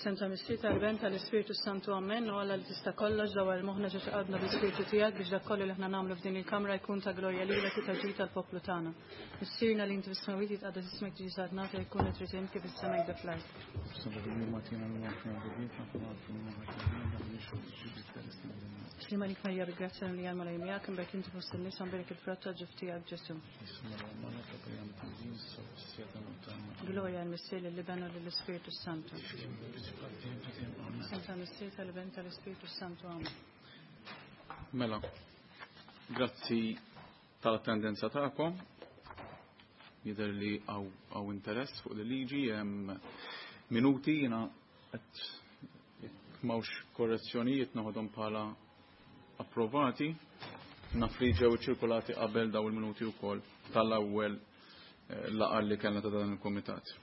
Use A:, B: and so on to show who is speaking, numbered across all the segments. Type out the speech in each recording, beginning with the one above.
A: F'isem tal-Missier, tal-Iben, tal-Ispirtu Santu, Amen. U Alla li tista' kollox, dawwar moħħna ġo qalbna bl-Ispirtu tiegħek biex dak kollu li aħna nagħmlu f'din il-kamra jkun ta' glorja lilek u ta' ġid tal-poplu tagħna. Missierna li inti fis-smewwiet jitqaddes ismek tiġi saltnatek jkun li trid int kif is-sema jibda fl-art. Slima lik Marija bil-grazzja li għal malaj miegħek imbagħad inti fost in-nisa mbierek il-frott tal-ġuf tiegħek Ġesu. Gloria għal-Missier lill-Iben u lill-Ispirtu Santu. Santa Missier tal-Iben tal-Ispirtu Santu. Amen.
B: Mela, grazzi tal-attendenza tagħkom. Jidher li hawn interess fuq il-liġi, hemm minuti jiena qed jekk m'hawnx korrezzjonijiet noħodhom bħala approvati. Naf li ġew ċirkulati qabel daw il-minuti wkoll tal-ewwel laqgħa li kellna ta' dan il-kumitat.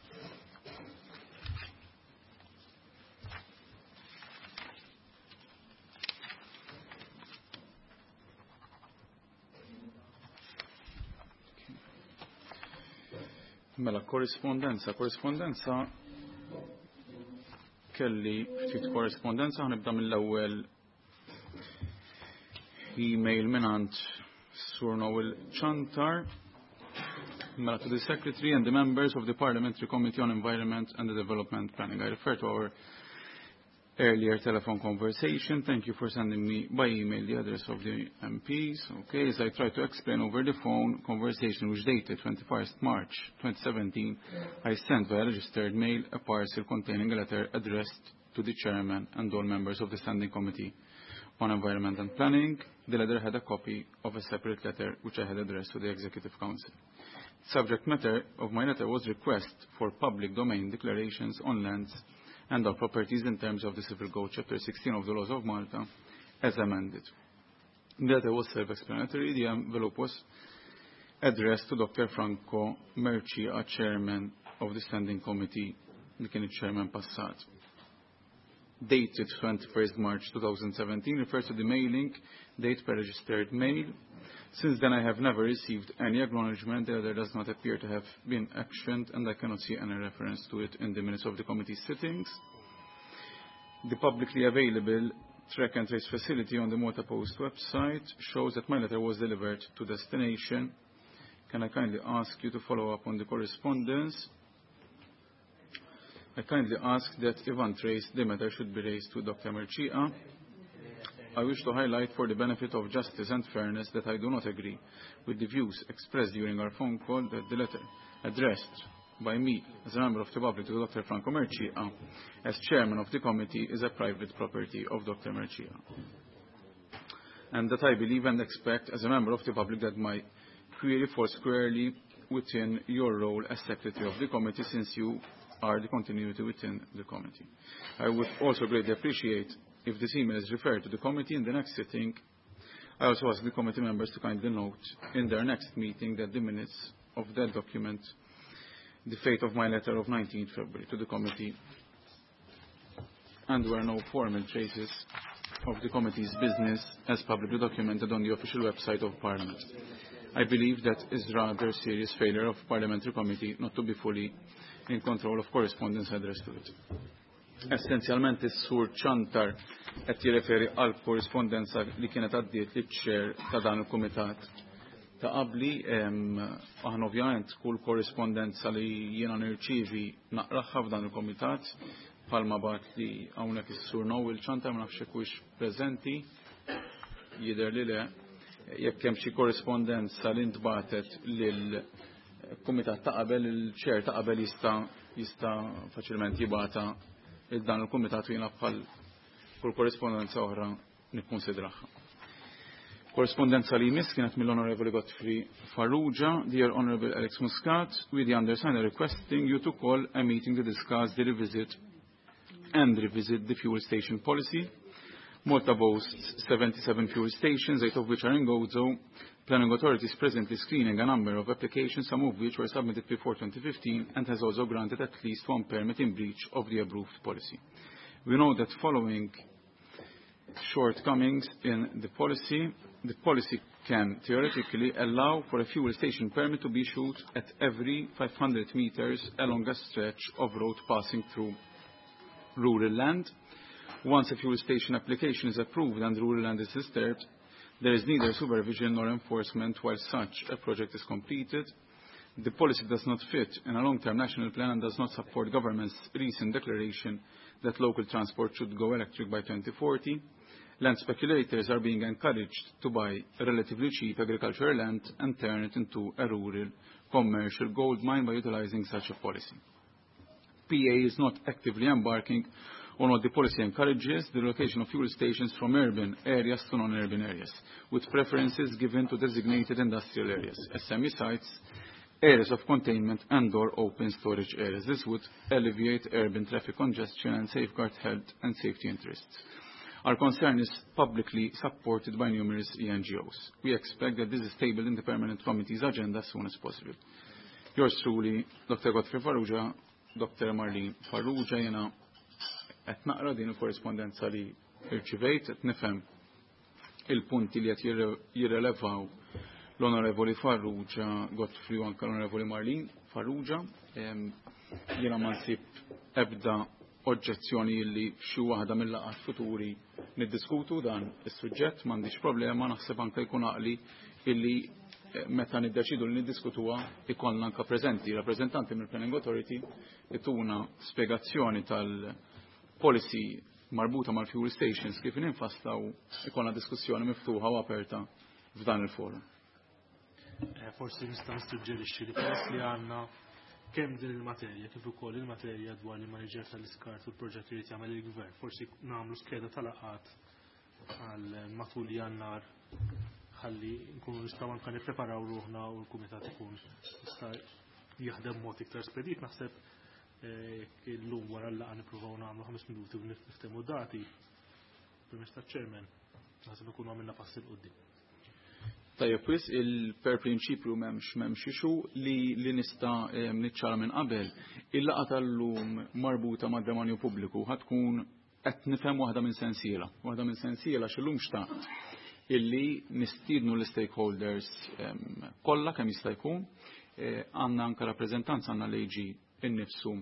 B: Mela, korrispondenza, korrispondenza kelli ftit korrispondenza, ħanibda mill-ewwel email mingħand Sur Noel Ciantar. Mela, to the Secretary and the members of the Parliamentary Committee on Environment and the Development Planning. I refer to our earlier telephone conversation. Thank you for sending me by email the address of the MPs. Okay, as I tried to explain over the phone conversation which dated 21st March 2017, I sent via registered mail a parcel containing a letter addressed to the chairman and all members of the Standing Committee on Environment and Planning. The letter had a copy of a separate letter which I had addressed to the Executive Council. Subject matter of my letter was request for public domain declarations on lands and our properties in terms of the Civil Code Chapter 16 of the Laws of Malta as amended. The letter was self-explanatory. The envelope was addressed to Dr. Franco Mercieca, chairman of the Standing Committee, li kien chairman passat. Dated 21st March 2017 refers to the mailing date per registered mail. Since then, I have never received any acknowledgement. The letter does not appear to have been actioned, and I cannot see any reference to it in the minutes of the committee sittings. The publicly available track and trace facility on the Malta Post website shows that my letter was delivered to destination. Can I kindly ask you to follow up on the correspondence? I kindly ask that if untraced, the matter should be raised to Dr. Mercieca. I wish to highlight for the benefit of justice and fairness that I do not agree with the views expressed during our phone call that the letter addressed by me as a member of the public to Dr. Franco Mercieca as chairman of the committee is a private property of Dr. Mercieca. And that I believe and expect as a member of the public that my query falls squarely within your role as secretary of the committee since you are the continuity within the committee. I would also greatly appreciate if this email is referred to the committee in the next sitting. I also ask the committee members to kindly note in their next meeting that the minutes of that document the fate of my letter of 19th February to the committee and were no formal traces of the committee's business as publicly documented on the official website of Parliament. I believe that is rather serious failure of parliamentary committee not to be fully in control of correspondence addressed to it. Essenzjalment is-sur Ciantar qed jirreferi għal korrispondenza li kienet għaddiet li chair ta' dan il-kumitat ta' qabli. Aħna ovvjament kull korrispondenza li jiena nirċivi naqraħħa f'dan il-kumitat bħalma bagħat li hawnhekk is-sur Noel Ciantar, ma nafx hekk huwiex preżenti, jidher li le. Jekk hemm xi korrispondenza li ntbatet lil kumitat ta' qabel, il-chair ta' qabel jista' faċilment jibgħatha il dan il-kumitat u jiena bħal kull korrispondenza oħra nikkonsidraha. Korrispondenza li jmiss kienet mill-Onorevoli Godfrey Farrugia. Dear Honorable Alex Muscat, we the undersigned are requesting you to call a meeting to discuss the revisit and revisit the fuel station policy. Malta boasts 77 fuel stations, 8 of which are in Gozo. Planning Authority is presently screening a number of applications, some of which were submitted before 2015, and has also granted at least one permit in breach of the approved policy. We know that following shortcomings in the policy can theoretically allow for a fuel station permit to be issued at every 500 meters along a stretch of road passing through rural land. Once a fuel station application is approved and rural land is disturbed, there is neither supervision nor enforcement while such a project is completed. The policy does not fit in a long-term national plan and does not support government's recent declaration that local transport should go electric by 2040. Land speculators are being encouraged to buy relatively cheap agricultural land and turn it into a rural commercial gold mine by utilizing such a policy. PA is not actively embarking on what the policy encourages, the relocation of fuel stations from urban areas to non-urban areas, with preferences given to designated industrial areas, SME sites, areas of containment and or open storage areas. This would alleviate urban traffic congestion and safeguard health and safety interests. Our concern is publicly supported by numerous ENGOs. We expect that this is tabled in the Permanent Committee's agenda as soon as possible. Yours truly, Dr. Godfrey Farrugia, Dr. Marlene Farrugia, jena qed naqra din il-korrispondenza li rċivejt, qed nifhem il-punti li qed jirrelevaw l-Onorevoli Farrugia Godfrey u anke l-Onorevoli Marlene Farrugia. Jiena ma nsib ebda oġġezzjoni li f'xi waħda mill-laqgħat futuri niddiskutu dan is-suġġett, m'għandix problema, naħseb anke jkun għaqli illi meta niddeċidu li niddiskutuha ikollna anke preżenti rappreżentanti mill-Planning Authority ituna spjegazzjoni tal-policy marbuta mal-fuel stations kif ninfaslaw, ikollna diskussjoni miftuħa u aperta f'dan il-forum.
C: Forsi nista' nissuġġerixxi li peress li għandna kemm din il-materja kif ukoll il-materja dwar il-maniġer tal-iskart u l-proġett li jrid jagħmel il-gvern, forsi nagħmlu skeda tal-laqgħat għal matul Jannar ħalli nkunu nistgħu anke nippreparaw ruħna u l-kumitat ikun jista' jaħdem mod iktar spedit. Naħseb jekk illum wara l-laqgħa nippruvaw nagħmlu 5 minuti u niftehmu dati permezz taċ-chairman, naħseb ikunu għamilna pass 'il quddiem.
B: Tajjeb, wis il-per prinċipju m'hemmx issue li nista' niċċara minn qabel. Il-laqgħa tal-lum marbuta mad-demanju pubbliku ħa tkun, qed nifhem, waħda minn sensiela. Waħda minn sensiela x'illum xtaqt illi nistiednu l-stakeholders kollha kemm jista' jkun. Għandna anke rappreżentanza, għandna l-AG innifsu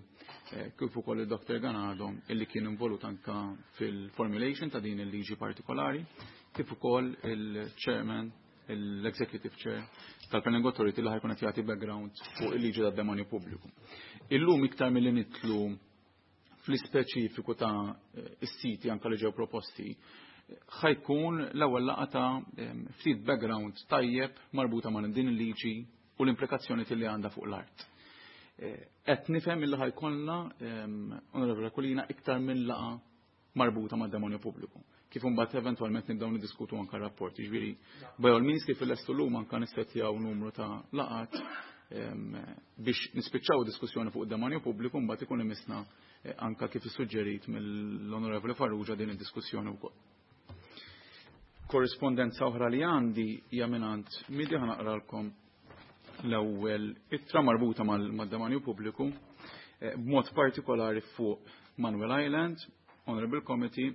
B: kif ukoll il-Dr. Ganado illi kien involut anka fil-formulation ta' din il-liġi partikolari, kif ukoll il-chairman, l-Executive Chair tal-Planning Authority li ħa jkun qed jagħti background fuq il-liġi tad-demanju pubbliku. Illum iktar milli nidħlu fl-ispeċifiku ta' is-siti anka li ġew proposti, ħa jkun l-ewwel laqgħa ta' ftit background tajjeb marbuta ma' din il-liġi u l-implikazzjoni li għandha fuq l-art. Qed nifhem illi ħa jkollna, Onorevole Aquilina, iktar minn laqgħa marbuta mad demanju pubbliku, kif imbagħad eventwalment nibdew niddiskutu anke rapport. Jiġifieri, by all means, kif illestu llum anke nissettjaw numru ta' laqgħat biex nispiċċaw diskussjoni fuq id-demanju pubbliku, mbagħad ikun imissna anka kif issuġġerit mill-Onorevoli Farrugia din id-diskussjoni wkoll. Korrispondenza oħra li għandi hija mingħand MIDI. Ħa naqralkom l-ewwel ittra marbuta mal-demanju pubbliku, b'mod partikolari fuq Manuel Island. Honorable Committee,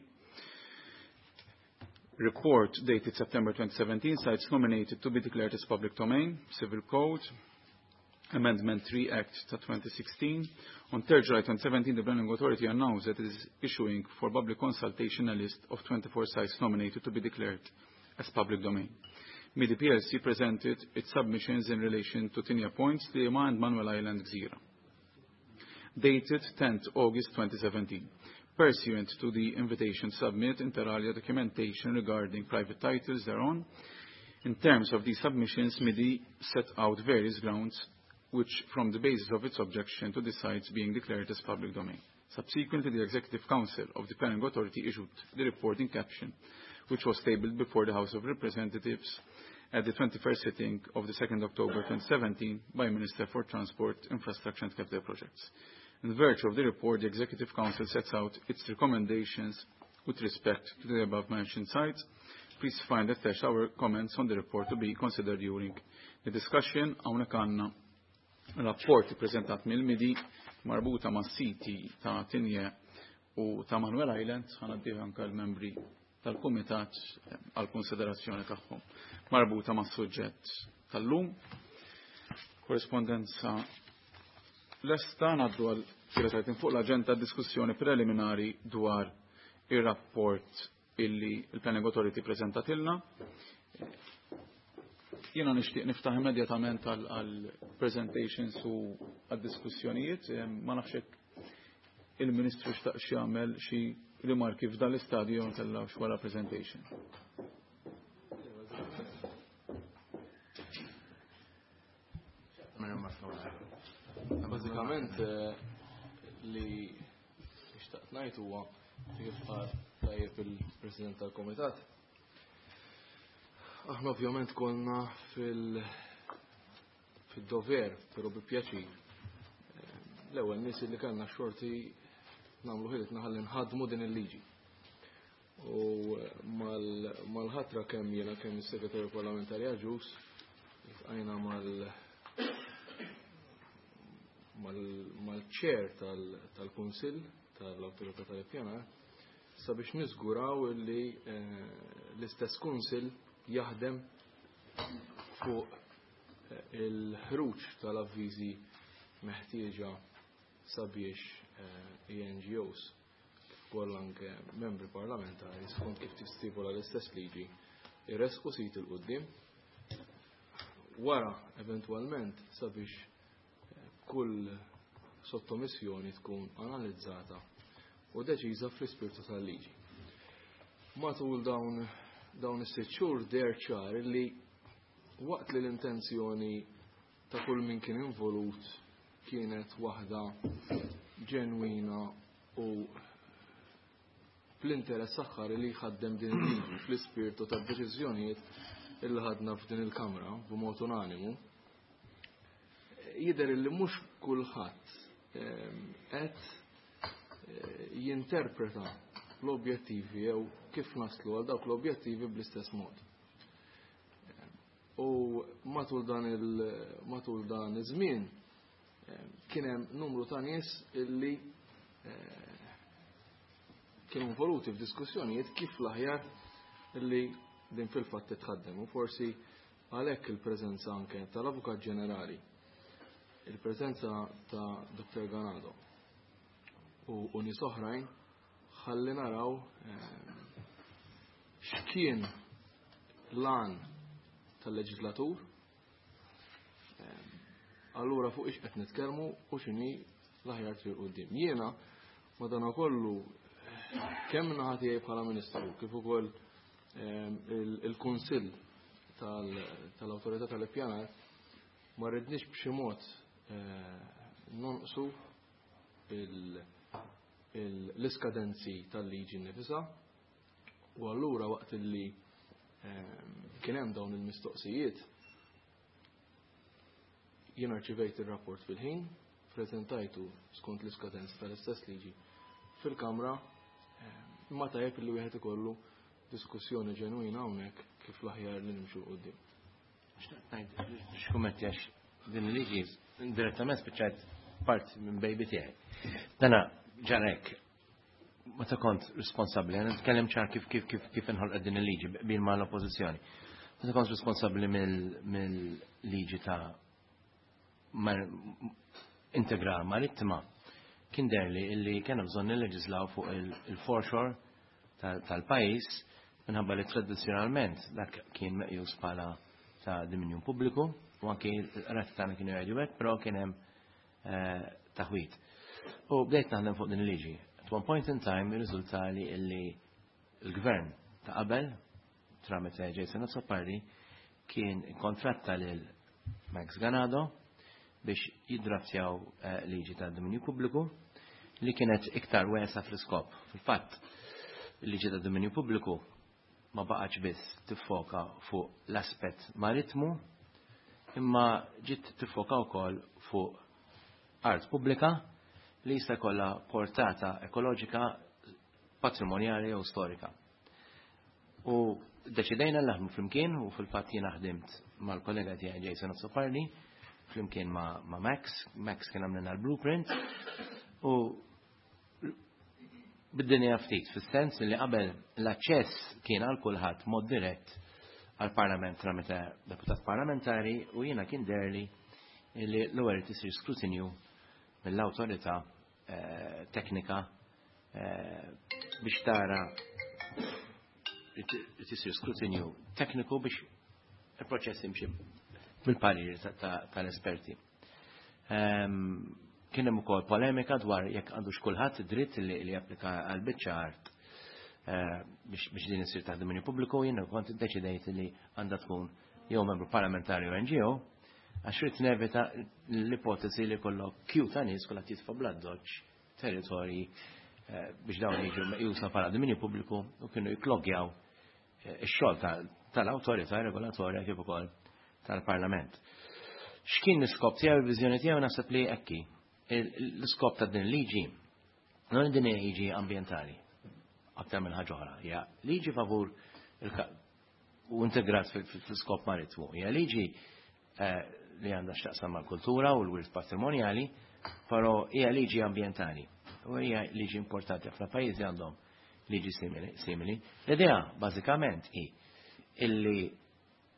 B: report dated September 2017, sites nominated to be declared as public domain, Civil Code, Amendment 3 Act ta' 2016. On 3 July 2017, the Planning Authority announced that it is issuing for public consultation a list of 24 sites nominated to be declared as public domain. MIDI PLC presented its submissions in relation to Tigne Point, Sliema and Manuel Island, Gżira, dated 10th August 2017. Pursuant to the invitation, submit inter alia documentation regarding private titles thereon. In terms of these submissions, MIDI set out various grounds which form the basis of its objection to the sites being declared as public domain. Subsequently, the Executive Council of the Planning Authority issued the report in caption, which was tabled before the House of Representatives at the 21st sitting of the 2nd October 2017 by Minister for Transport, Infrastructure and Capital Projects. In virtue of the report, the Executive Council sets out its recommendations with respect to the above-mentioned sites. Please find attached our comments on the report to be considered during the discussion. Hawnhekk għandna rapport prezentat mill-MIDI marbuta ma' siti ta' Tigne u ta' Manuel Island. Ħa ngħaddih anka l-membri tal-Kumitat għal konsiderazzjoni tagħhom marbuta ma' suġġett tal-lum. Korrespondenza lesta, ngħaddu għal Tielet item fuq l-aġenda, diskussjoni preliminari dwar ir-rapport illi il-Planning Authority preżentatilna. Jiena nixtieq niftaħ immedjatament għal presentations u għal diskussjonijiet. Ma nafx hekk il-Ministru xtaq jagħmel xi rimarki f'dan l-istadju jew kellha wara presentation.
D: Bażikament li xtaqt ngħid huwa kif qal tajjeb il-President tal-Komitat. Aħna ovvjament konna fil-dover, però bi pjaċir. L-ewwel nies li kellna xorti nagħmlu ħilitna ħalli nħadmu din il-liġi. U mal-ħatra kemm jiena kemm is-Segretarju Parlamentari Agius iltqajna mal-chair tal-Kunsill tal-Awtorità tal-Ippjanar sabiex niżguraw li l-istess Kunsill jaħdem fuq il-ħruġ tal-avviżi meħtieġa sabiex NGOs kif ukoll anke membri parlamentari skont kif tistipula l-istess liġi irresqu sit il-qudiem wara eventwalment sabiex kull sottomissjoni tkun analizzata u deċiża fl-ispirtu tal-liġi. Matul dawn is-sitt xhur deher ċar li waqt li l-intenzjoni ta' kull min kien involut kienet waħda ġenwina u fl-interess aħħar li jħaddem din il-liġi fl-ispirtu tad-deċiżjonijiet illi ħadna f'din il-Kamra b'mod unanimu, jidher li mhux kulħadd qed jinterpreta l-objettivi jew kif naslu għal dawk l-objettivi bl-istess mod. U matul dan iż-żmien kien hemm numru ta' nies illi kienu involuti f'diskussjonijiet kif l-aħjar illi din fil-fatt titħaddem. U forsi għalhekk il-preżenza anke tal-Avukat Ġenerali, il-preżenza ta' Dr. Ganado u nies oħrajn ħalli naraw x'kien l-għan tal-leġislatur, allura fuq ix qed nitkellmu u x'inhi l-aħjar triq quddiem. Jiena madanakollu kemm naħa tiegħi bħala Ministru kif ukoll il-Kunsill tal-Awtorità tal-Ippjanar ma rridniex b'xi mod nonqsu l-iskadenzi tal-liġi nnifisha, u allura waqt li kien hemm dawn il-mistoqsijiet jien arċivejt ir-rapport fil-ħin, preżentajtu skont l-iskadenza tal-istess liġi fil-Kamra, imma tajjeb li wieħed ikollu diskussjoni ġenwina hawnhekk kif l-aħjar li nimxu quddiem.
E: Xtaqt ngħid x'kummenti għax din il-liġi direttament spiċċajt part minn baby tiegħi. Dana ġarek meta kont responsabbli, għana nitkellem ċar kif kif kif kif inħolqet din il-liġi bil ma l-oppożizzjoni. Meta kont responsabbli mill-liġi ta' integra marittima, kien derli illi kien bżonn nilleġislaw fuq il-foreshore tal-pajjiż minħabba li tradizzjonalment dak kien meqjus bħala ta' dominju pubbliku u anke l-qrati tagħna kienu jgħidu hekk, però kien hemm taħwit. U bdejt naħdem fuq din il-liġi. At one point in time irriżulta li illi l-gvern ta' qabel tramite Jason Azzopardi kien kontratta lil Max Ganado biex jiddraftjaw liġi ta' dominju pubbliku li kienet iktar wesa fl-iskop. Fil-fatt, il-liġi ta' dominju pubbliku ma baqgħetx biss tiffoka fuq l-aspett maritmu, imma ġiet tiffoka wkoll fuq art pubblika li jista' jkollha portata ekoloġika, patrimonjali jew storika. U deċidejna naħdmu flimkien u fil-fatt jiena ħdimt mal-kollega tiegħi Jason Azzopardi flimkien ma' Max. Max kien għamlilna l-blueprint u bid-dinja ftit, fis-sens li qabel l-aċċess kien għal kulħadd mod dirett għal-Parlament tramite deputat parlamentari u jiena kien derli li l-ewwel tisir skrutinju mill-awtorità. teknika biex tara li tisir skrutinju tekniku biex il-proċess jimxi bil-parir tal-esperti. Kien hemm ukoll polemika dwar jekk għandux kulħadd id-dritt li japplika għal biċċa art biex din isir taħt dominju pubbliku. Jiena kont iddeċidejt li għandha tkun jew membru parlamentari u NGO, għax rrid nevita l-ipotezi li kollok kju ta' nies kollha jitfa' bl-addoċċ territorji biex dawn jiġu meqjusa bħala dominju pubbliku u kienu jiklogjaw ix-xogħol tal-awtorità regolatorja kif ukoll tal-Parlament. X'kien l-iskop tiegħu, il-viżjoni tiegħu? Naħseb li ekki. L-iskop ta' din liġi, non din hija liġi ambjentali, aktar minn ħaġa oħra, hija liġi favur u integrat fil-skop maritmu. Hija liġi li għandha x'taqsam mal-kultura u l-wirt patrimonjali, però hija liġi ambjentali. U hija liġi importanti, ħafna pajjiżi għandhom liġi simili. L-idea bażikament hi illi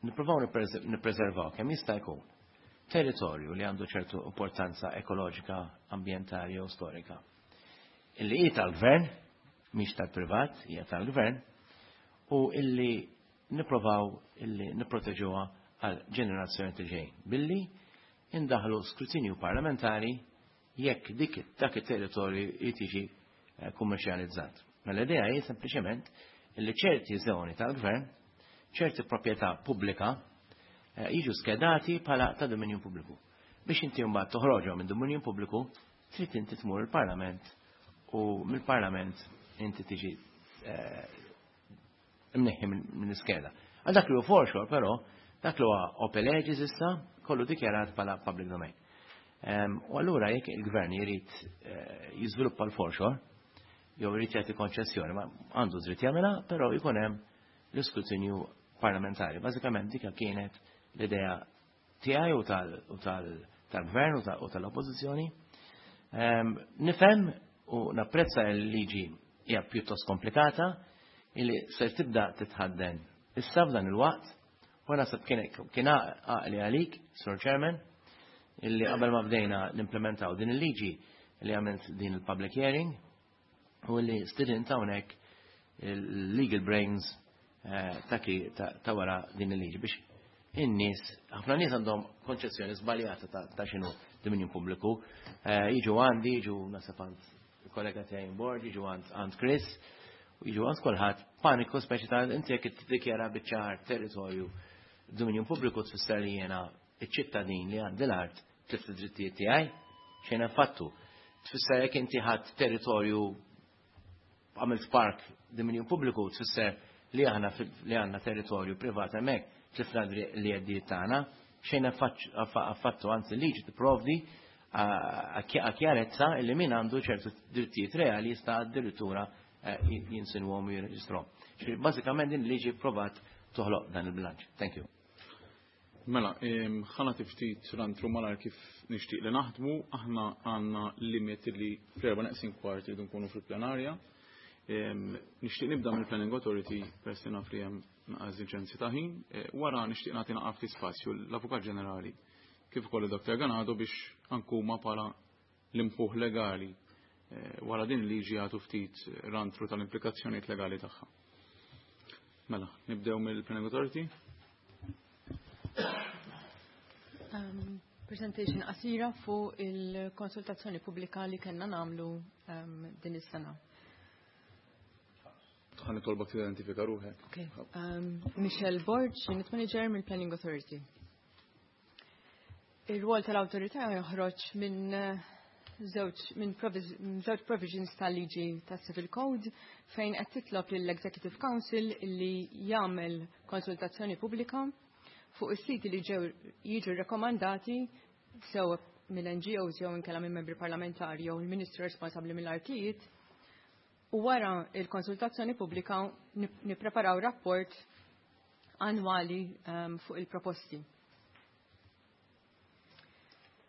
E: nippruvaw nippreservaw kemm jista' jkun territorju li għandu ċertu importanza ekoloġika, ambjentali u storika. Illi hi tal-gvern, mhix tal-privat, hija tal-gvern, u illi nipprovaw illi nipproteġuha għal ġenerazzjoni li ġejjin billi indaħlu skrutinju parlamentari jekk dik dak it-territorju jtiġi kummerċjalizzat. Mela l-idea hi sempliċement illi ċerti żoni tal-gvern, ċerti proprjetà pubblika jiġu skedati bħala ta' dominju pubbliku. Biex inti mbagħad toħroġhom minn dominju pubbliku, trid inti tmur il-Parlament u mill-Parlament inti tiġi imneħħi minn iskeda. Għal dak li hu foreshore però, dak li huwa ope legis issa, kollu dikjarat bħala public domain. U allura jekk il-gvern jrid jiżviluppa l-foreshore, jew jrid jagħti konċessjoni, ma għandu dritt jagħmilha, però jkun hemm l-iskrutinju parlamentari. Bażikament dik kienet l-idea tiegħi u tal-gvern u tal-oppożizzjoni. Nifhem u napprezza l-liġi hija pjuttost komplikata illi se tibda titħadden issa f'dan il-waqt, u naħseb kien għaqli għalik, Sir Chairman, illi qabel ma bdejna nimplementaw din il-liġi li għamilt din il-public hearing u li stidint hawnhekk il-legal brains ta' wara din il-liġi biex in-nies, ħafna nies għandhom konċezzjoni żbaljata ta' x'inhu dominju pubbliku. Jiġu għandi, jiġu naħseb għand il-kollega tiegħi board, jiġu għand Chris, u jiġu għand kulħadd, paniku speċi ta' inti jekk tiddikjara biċ-ċar territorju dominju pubbliku tfisser li jiena iċ-ċittadin li għandi l-art tlift id-drittijiet tiegħi, xejn fattu. Tfisser jekk inti ħadd territorju għamilt park dominju pubbliku tfisser li aħna li għandna territorju privat hemmhekk tlifna li għeddijiet tagħna, xejn affattu, anzi liġi tipprovdi kjarezza illi min għandu ċertu drittijiet reali jista' addirittura jinsinwhom u jirreġistrahom. Bażikament din liġi provat toħloq dan il-bilanċ. Thank you.
B: Mela, ħa nagħti ftit run-through malar kif nixtieq li naħdmu, aħna għandna limit li fl-4 neqsin kwart irridu nkunu fil-plenarja. Nixtieq nibda mill-Planning Authority peress li naf li hemm eżiġenzi ta' ħin. Wara nixtieq nagħti naqaf ftit spazju l-Avukat Ġenerali kif ukoll id-Dr. Ganado biex ankuma bħala l-imħuħ legali wara din liġi jagħtu ftit run-through tal-implikazzjonijiet legali tagħha. Mela, nibdew mill-Planning Authority.
A: Presentation qasira fuq il-konsultazzjoni pubblika li kellna nagħmlu din is-sena.
B: Ħa nitolbok tidentifika ruħek.
A: Okay. Michelle Borg, Unit Manager mill-Planning Authority. Ir-rwol tal-awtorità joħroġ minn żewġ provisions tal-liġi tas-Civil Code fejn qed titlob lill-Executive Council li jagħmel konsultazzjoni pubblika fuq is-siti li ġew jiġu rekomandati sew mill-NGOs jew inkella minn membri parlamentari jew il-Ministru responsabbli mill-artijiet, u wara il-konsultazzjoni pubblika nippreparaw rapport annwali fuq il-proposti.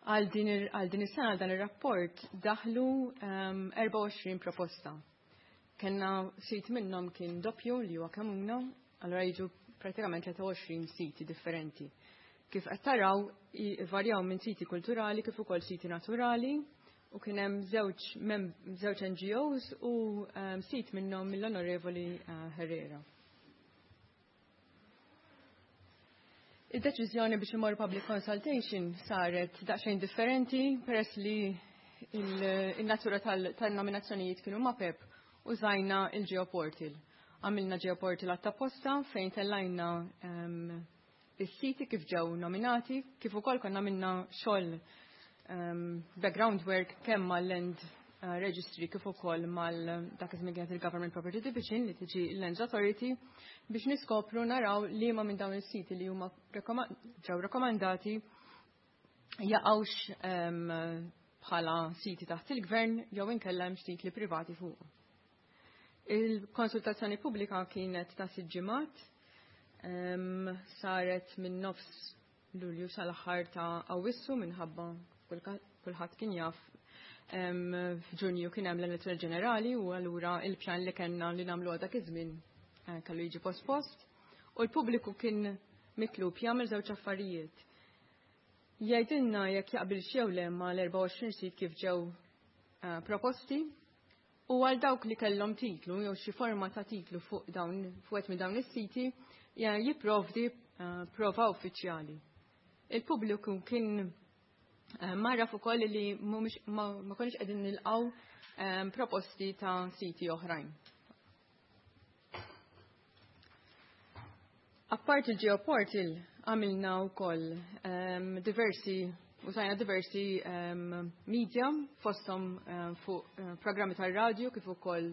A: Għal din is-sena dan ir-rapport daħlu 24 proposta. Kenna sit minnhom kien doppju li huwa Kemmuna, allura jiġu pratikament 23 siti differenti. Kif qed taraw, varjaw minn siti kulturali kif ukoll siti naturali. U kien hemm żewġ NGOs u sit minnhom mill-Onorevoli Herrera. Id-deċiżjoni biex imorru public consultation saret daqsxejn differenti peress li il-natura tal-nominazzjonijiet kienu mapep, użajna il-Geoportal. Għamilna Geoportal għatta fejn tellajna is-siti kif ġew nominati, kif ukoll konna minna xogħol background work kemm mal-Land Registry kif ukoll mal dak iż-żmien kienet il-Government Property Division li tiġi l-Lands Authority biex niskopru naraw li ma minn dawn is-siti li huma ġew rakkomandati jaqgħux bħala siti taħt il-gvern jew inkella hemm titli privati fuq. Il-konsultazzjoni pubblika kienet ta' sitt ġimgħat, saret minn nofs Lulju sal-aħħar ta' Awwissu minħabba kulħadd kien jaf f'Ġunju kien hemm l-elezzjoni ġenerali u allura il-pjan li kellna li nagħmlu dak iż-żmien kellu jiġi pospost. U l-pubbliku kien mitlub jagħmel żewġ affarijiet. Jgħidilna jekk jaqbilx jew le mal-24 sit kif ġew proposti u għal dawk li kellhom titlu jew xi forma ta' titlu fuq dawn fuq minn dawn is-siti jipprovdi prova uffiċjali. Il-pubbliku kien marraf ukoll li ma konniex qegħdin nilqgħu proposti ta' siti oħrajn. Apart il-Geoportal għamilna wkoll diversi użajna diversi media fosthom fuq programmi tar-radju kif ukoll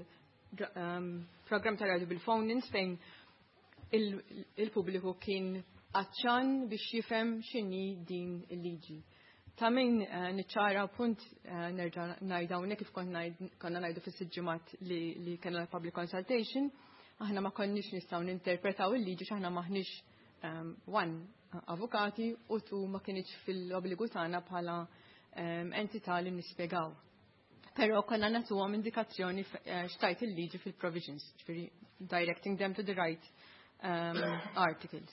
A: programmi tar-radju bil-phone-ins fejn il-pubbliku kien għatxan biex jifhem x'inhi din il-liġi. Ta' min niċċara punt nerġa' ngħid hawnhekk kif konna ngħidu fis-sitt ġimgħat li kellna public consultation, aħna ma konniex nistgħu ninterpretaw il-liġi x'aħna maħniex one avukati u tu ma kienx fil-obbligu tagħna bħala entità li nispjegaw. Però konna nagħtuhom indikazzjoni x'tajt il-liġi fil-provisions, ġifieri directing them to the right articles.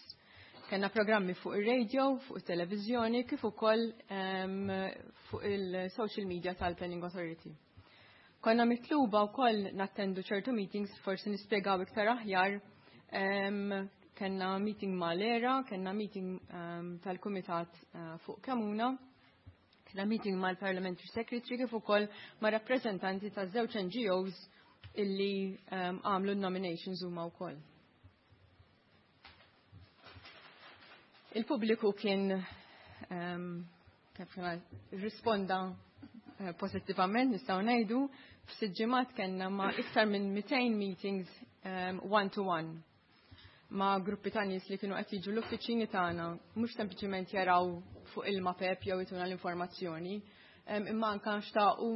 A: Kenna programmi fuq ir-radio, fuq it-televiżjoni, kif ukoll fuq il-social media tal-Planning Authority. Konna mitluba wkoll nattendu ċertu meetings, forsi nispjegaw iktar aħjar. Kenna meeting mal-ERA, kenna meeting tal-Kumitat fuq Kemuna, kenna meeting mal-Parliamentary Secretary kif ukoll ma' rappreżentanti ta' żewġ NGOs illi għamlu nominations huma wkoll. Il-pubbliku kien kif risponda pozittivament, nistgħu ngħidu, f'sitt ġimgħat kellna ma' iktar minn 200 meetings one-to-one ma' gruppi ta' nies li kienu qed jiġu l-uffiċini tagħna, mhux sempliċement jaraw fuq il-mapep jew ituna l-informazzjoni, imma anke xtaqu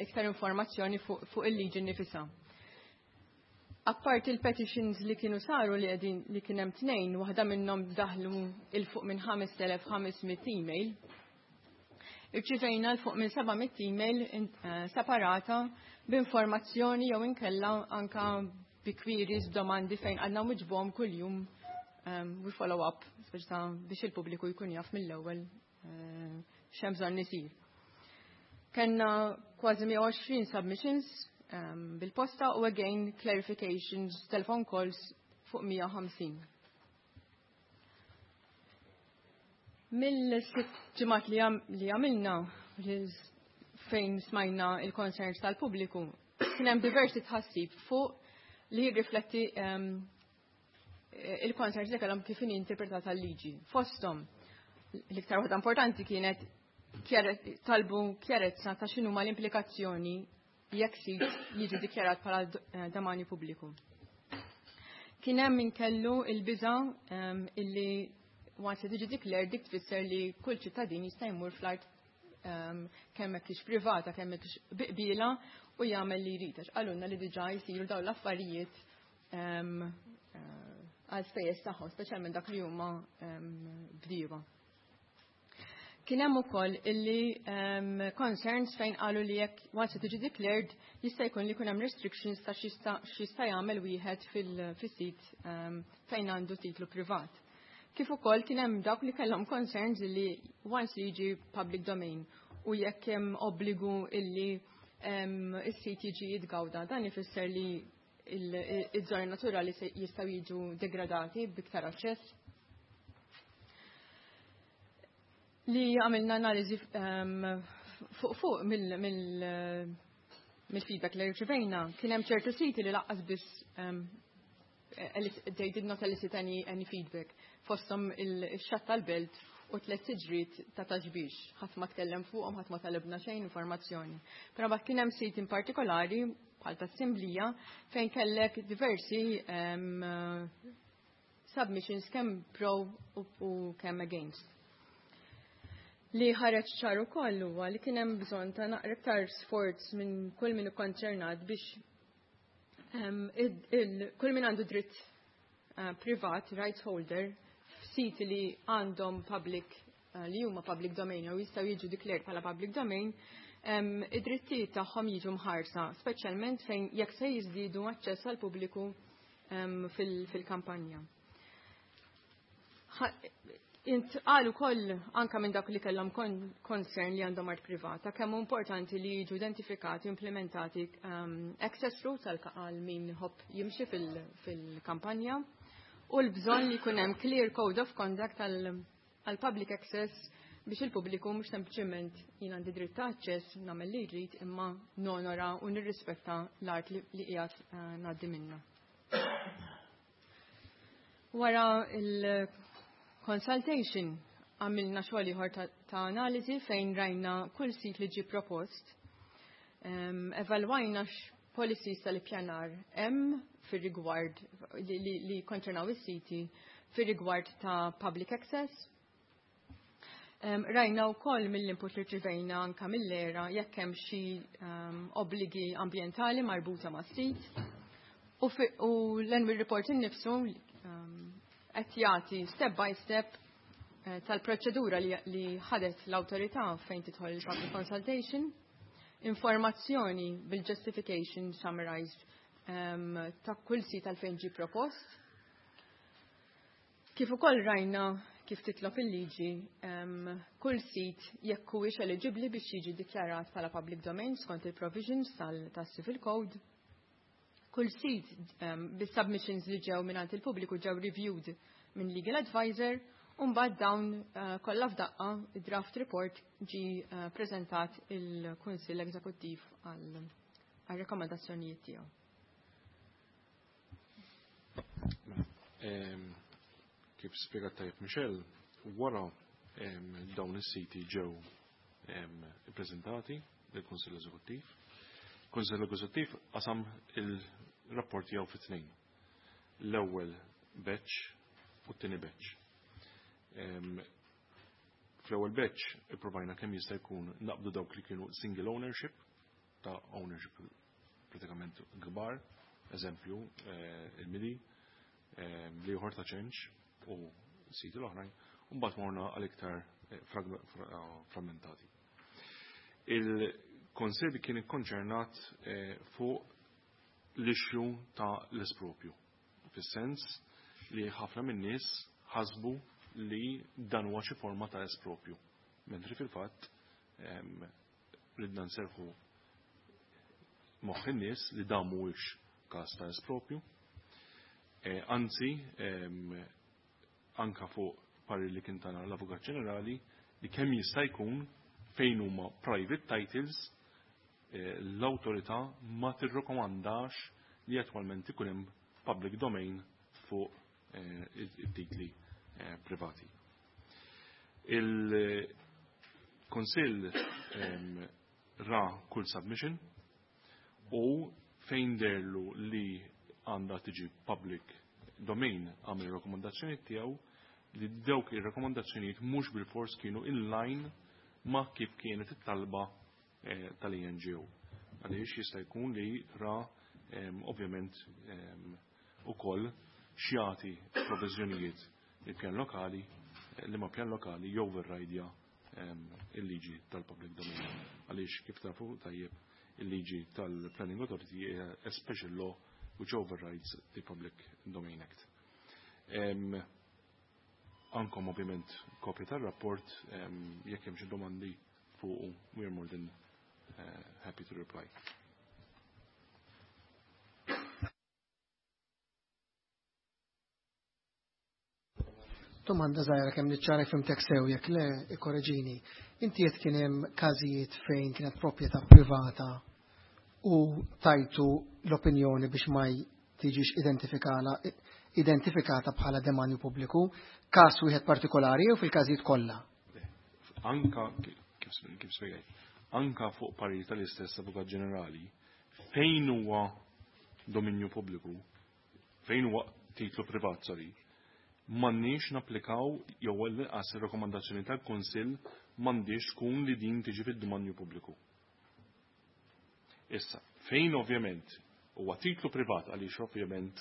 A: iktar informazzjoni fuq il-liġi nnifisha. Apparti il-petitions li kienu saru li qegħdin li kien hemm tnejn, waħda minnhom daħlu il fuq minn 5500 email. Irċivejna l fuq minn 700 email separata b'informazzjoni jew inkella anka bi queries, domandi fejn għandna nwiġbuhom kuljum we follow up biex il-pubbliku jkun jaf mill-ewwel x'hemm bżonn isir. Kenna kważi 120 submissions bil-posta u again clarifications, telephone calls fuq 150. Mill-sitt ġimgħat li għamilna fejn smajna il-concerns tal-pubbliku, kien hemm diversi tħassib fuq li jirrifletti il-concerns li kellhom kif inhi interpretata l-liġi. Fosthom, l-iktar waħda importanti kienet talbu kjarezza ta' x'inhuma l-implikazzjoni jekk sit jiġi dikjarat bħala domanju pubbliku. Kien hemm min kellu il-biża illi once li tiġi declared dik tfisser li kull ċittadin jista' jmur fl-art kemm hekk privata kemm hekk biqbila u jagħmel li jrid. Għax qalulna li diġà jsiru dawn l-affarijiet għal spejjeż tagħhom, speċjalment dak li huma bdiewa. Kien hemm ukoll illi concerns fejn qalu li jekk once tiġi declared jista' jkun li jkun hemm restrictions ta' x'jista' jagħmel wieħed fis-sit fejn għandu titlu privat. Kif ukoll kien hemm dawk li kellhom concerns li once li jiġi public domain u jekk hemm obbligu illi is-sit jiġi jitgawda. Dan ifisser li iż-żoni naturali jistgħu jiġu degradati b'iktar aċċess. Li għamilna analiżi fuq mill-feedback li rċivejna, kien hemm ċertu siti li lanqas biss they did not elicit any feedback. Fosthom il-xatt tal-Belt u Tliet Siġriet ta' Ta' Xbiex. Ħadd ma tkellem fuqhom, ħadd ma talibna xejn informazzjoni. Però mbagħad kien hemm sit in partikolari bħal tas-Simblija fejn kellek diversi submissions, kemm pro u kemm against. Li ħareġ ċar ukoll huwa li kien hemm bżonn ta' naqra iktar sforz minn kull min ikkonċernat biex kull min għandu dritt privat, rights holder, f'siti li għandhom public, li huma public domain jew jistgħu jiġu declared bħala public domain, id-drittijiet tagħhom jiġu mħarsa, speċjalment fejn jekk se jiżdiedu aċċess għal pubbliku fil-kampanja. Intqal ukoll anka minn dak li kellhom concern li għandhom art privata kemm hu importanti li jiġu identifikati u implementati access routes għal min iħobb jimxi fil-kampanja u l-bżonn li jkun hemm clear code of conduct għal public access biex il-pubbliku mhux sempliċement jien għandi dritt ta' aċċess, nagħmel li jrid, imma nonora u nirrispetta l-art li qiegħed ngħaddi minnha. Wara il-consultation għamilna xogħol ieħor ta' analiżi fejn rajna kull sit li ġie propost. Evalwajna x'policies tal-ippjanar hemm fir-rigward li konċernaw is-siti fir-rigward ta' public access. Rajna wkoll mill-input li rċivejna anka mill-ERA jekk hemm xi obbligi ambjentali marbuta ma' sit. U l-Enwi Report innifsu qed jagħti step by step tal-proċedura li ħadet l-awtorità fejn tidħol il-public consultation, informazzjoni bil-justification summarized ta' kull sit għalfejn ġi propost. Kif ukoll rajna kif titlob il-liġi kull sit jekk huwiex eligibbli biex jiġi dikjarat bħala public domain skont il-provisions tas-Civil Code. Kull sit bis-submissions li ġew mingħand il-pubbliku ġew reviewed minn legal advisor u mbagħad dawn kollha f'daqqa id-draft report ġi preżentat il-Kunsill Eżekuttiv għal rekomendazzjonijiet tiegħu.
D: Kif spjegat tajjeb Michelle, wara dawn is-siti ġew ippreżentati lill-Kunsill Eżekuttiv. Kunsill Eżekuttiv qasam il-rapport tiegħu fi tnejn. L-ewwel batch u t-tieni batch. Fl-ewwel batch ipprovajna kemm jista' jkun naqbdu dawk li kienu single ownership, ta' ownership pratikament kbar, eżempju il-Mili, l-ieħor ta' Ċenċ u siti l-oħrajn, u mbagħad morna għal iktar frammentati. Il-Kunsill kien ikkonċernat fuq l-issue ta' l-espropju, fis-sens li ħafna min-nies ħasbu li dan huwa xi forma ta' espropju, mentri fil-fatt ridna nserħu moħħ in-nies li dan mhuwiex każ ta' espropju. Anzi, anka fuq parir li kien tana l-Avukat Ġenerali li kemm jista' jkun fejn huma private titles, l-awtorità ma tirrekomandax li attwalment ikun hemm public domain fuq it-titli privati. Il-Kunsill ra kull submission u fejn deherlu li għandha tiġi public domain għamel rakkomandazzjoni tiegħu li dawk ir-rakkomandazzjonijiet mhux bil-fors kienu in line ma' kif kienet it-talba tal-ENGO. Għaliex jista' jkun li ra ovvjament ukoll xjati proviżjonijiet il-pjan lokali li ma pjan lokali joverridja il-liġi tal-public domain. Għaliex kif tafu tajjeb il-liġi tal-Planning Authority hija a special law which overrides the Public Domain Act. Għandkom ovvjament kopja tal-rapport, jekk hemm xi domandi
C: fuqu, we are more than happy to reply.
F: Domanda żgħira kemm niċċara fhimtek sew, jekk le ikkoreġini. Inti qed kien hemm każijiet fejn kienet proprjetà privata u tajtu l-opinjoni biex ma tiġix identifikata bħala demanju pubbliku, każ wieħed partikolari jew fil-każijiet kollha?
C: Anka kif spjegajt, anka fuq parir tal-istess Avukat Ġenerali, fejn huwa dominju pubbliku, fejn huwa titlu privat, sorry, m'għandniex napplikaw jew l-inqas ir-rakkomandazzjoni tal-Kunsill m'għandix tkun li din tiġi fid-dominju pubbliku. Issa, fejn ovvjament huwa titlu privat, għaliex ovvjament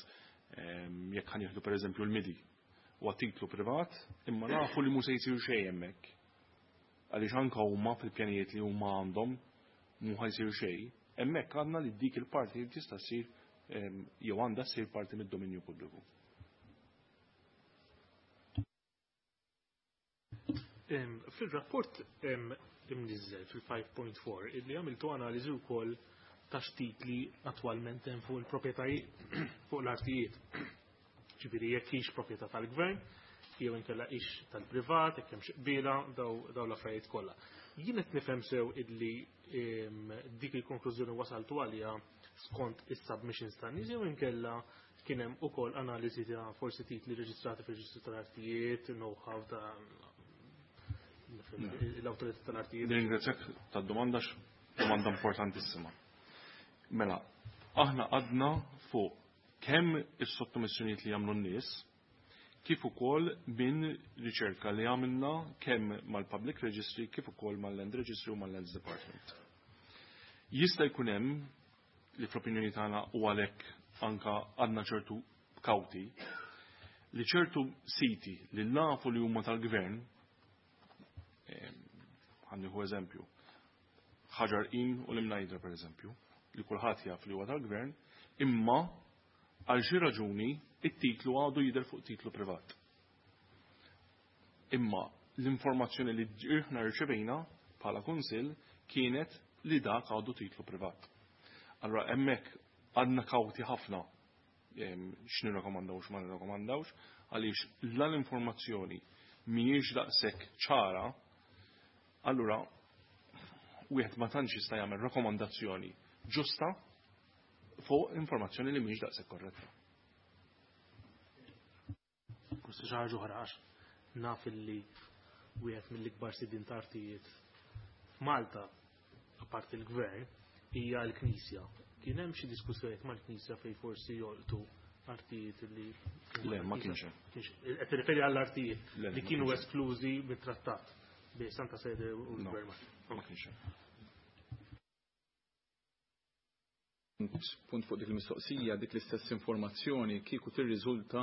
C: jekk ħa nieħdu pereżempju l-MIDI, huwa titlu privat, imma nafu li mhu se jsir xejn hemmhekk. Għaliex anke huma fil-pjanijiet li huma għandhom mhu ħa jsir xejn, hemmhekk għandna li dik il-parti li tista' ssir jew għandha ssir parti mid-dominju pubbliku.
G: Fil-rapport imniżżel fil-5.4 illi għamiltu analiżi wkoll ta' x'titli attwalment hemm fuq il-proprjetajiet fuq l-artijiet. Ġifieri jekk hix proprjetà tal-gvern, jew inkella hix tal-privat, jekk hemm xi qbiela, daw l-affarijiet kollha. Jien qed nifhem sew illi dik il-konklużjoni wasaltu għaliha skont is-submissions tan-nies jew inkella kien hemm ukoll analiżi ta' forsi titli reġistrati fir-reġistru tal-artijiet, know-how ta' l-awtorità tal-artijiet.
C: Nirringrazzjak tad-domanda, domanda importantissima. Mela, aħna għadna fuq kemm is-sottomissjonijiet li jagħmlu n-nies, kif ukoll minn riċerka li għamilna kemm mal-Public Registry, kif ukoll mal-Land Registry u mal-Lands Department. Jista' jkun hemm li fl-opinjoni tagħna u għalhekk anka għandna ċertu kawti li ċertu siti li nafu li huma tal-gvern, ħa nieħu eżempju, Ħaġar Qim u l-Imnajdra per eżempju, li kulħadd jaf li huwa tal-gvern, imma għal xi raġuni it-titlu għadu jidher fuq titlu privat. Imma l-informazzjoni li aħna rċevejna bħala kunsill kienet li dak għadu titlu privat. Allora hemmhekk għadna kawti ħafna x'nirrakkomandawx x'ma nirrakkomandawx, għaliex l-informazzjoni mhijiex daqshekk ċara, allura wieħed ma tantx jista' jagħmel rakkomandazzjoni ġusta fuq informazzjoni li mhijiex daqshekk korretta.
G: Forsi xi ħaġa oħra, għax naf illi wieħed mill-ikbar sidin ta' artijiet f'Malta, apparti l-gvern, hija l-Knisja. Kien hemm xi diskussjonijiet mal-Knisja fejn forsi jolqtu artijiet li
C: Le, ma kienx hemm.
G: Qed tirreferi għall-artijiet
C: Le,
G: li
C: ma
G: kienu
C: kienx hemm.
G: esklużi mit-trattat bejn Santa Sede u
C: No,
G: l-Gvern.
C: ma kienx hemm.
B: Punt fuq dik il-mistoqsija, dik l-istess informazzjoni kieku tirriżulta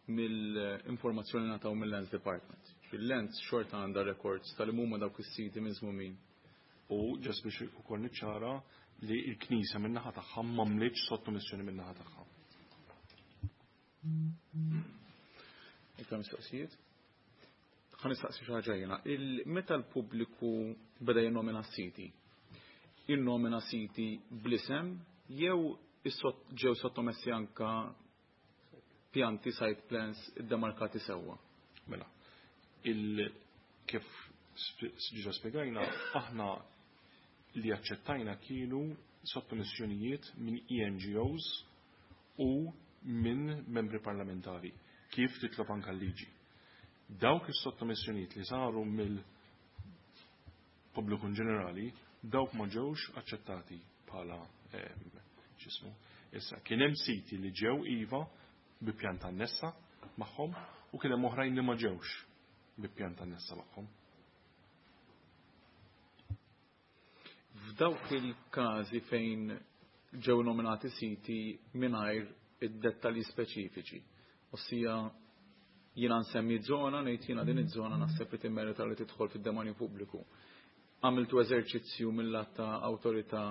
B: mill-informazzjoni ngħataw mill-Lands Department. Il-Lands xorta għandha records tal-huma dawk is-siti miżmumin.
C: U just biex ukoll niċċara li l-Knisja min-naħa tagħha m'għamlitx sottomissjoni min-naħa tagħha.
B: Iktar mistoqsijiet? Ħa nistaqsi xi ħaġa jiena. Meta l-pubbliku beda jinnomina siti, jinnomina siti bl-isem jew ġew sottomessi anka pjanti site plans iddemarkati sewwa?
C: Mela, kif ġiġa spjegajna, aħna li aċċettajna kienu sottomissjonijiet minn ENGOs u minn membri parlamentari, kif titlob anka l-liġi. Dawk is-sottomissjonijiet li saru mill-pubbliku in ġenerali, dawk ma ġewx aċċettati bħala x'ismu. Issa, kien hemm siti li ġew iva bi pjanta annessa magħhom u kien hemm oħrajn li ma ġewx bi pjanta annessa magħhom.
B: F'dawk il-każi fejn ġew nominati siti mingħajr id-dettalji speċifiċi, ossia jiena nsemmi żona, ngħid jiena din iż-żona naħseb li timmerita li tidħol fid-demanju pubbliku. Għamiltu eżerċizzju mill-lat ta' awtorità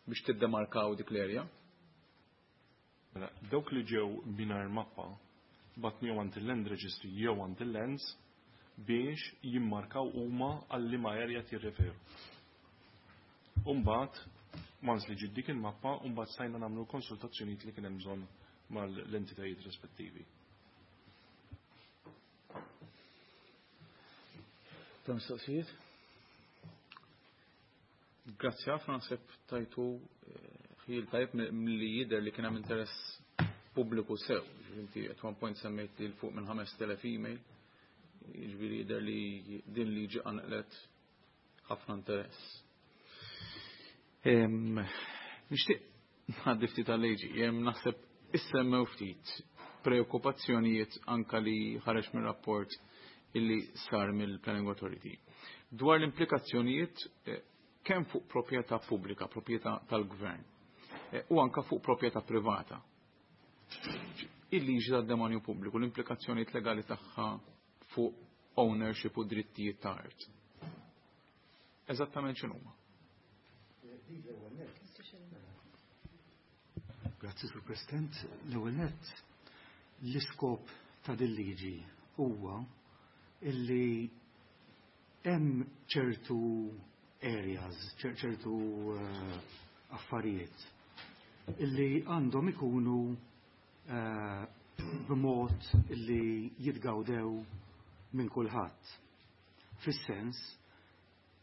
B: biex tiddemarkaw dik l-erja?
C: Mela, dawk li ġew mingħajr mappa batnihom għand il-Land Registry jew għand il-Lands biex jimmarkaw huma għal liema area jirreferu. Umbagħad, once li ġiet dik il-mappa, umbagħad stajna nagħmlu konsultazzjonijiet li kien hemm bżonn mal-entitajiet rispettivi.
B: Ta' mistoqsijiet? Grazzi ħafna, naħseb tajtu ħil tajjeb milli jidher li kien hemm interess pubbliku sew. Inti at one point semmejt li l-fuq minn 5000 email. Jiġifieri jidher li din liġi qanqlet ħafna interess. Nixtieq ngħaddi ftit għal-liġi, naħseb issemmew ftit preokkupazzjonijiet anka li ħareġ mir-rapport illi sar mill-Planning Authority. Dwar l-implikazzjonijiet kemm fuq proprjetà pubblika, proprjetà tal-gvern, u anka fuq proprjetà privata. Il-liġi tad-demanju pubbliku, l-implikazzjonijiet legali tagħha fuq ownership u drittijiet ta' art. Eżattament x'inhuma?
H: Grazzi, Sur President. L-ewwel nett, l-iskop ta' din liġi huwa illi hemm ċertu areas, ċertu affarijiet illi għandhom ikunu b'mod illi jitgawdew minn kulħadd. Fis-sens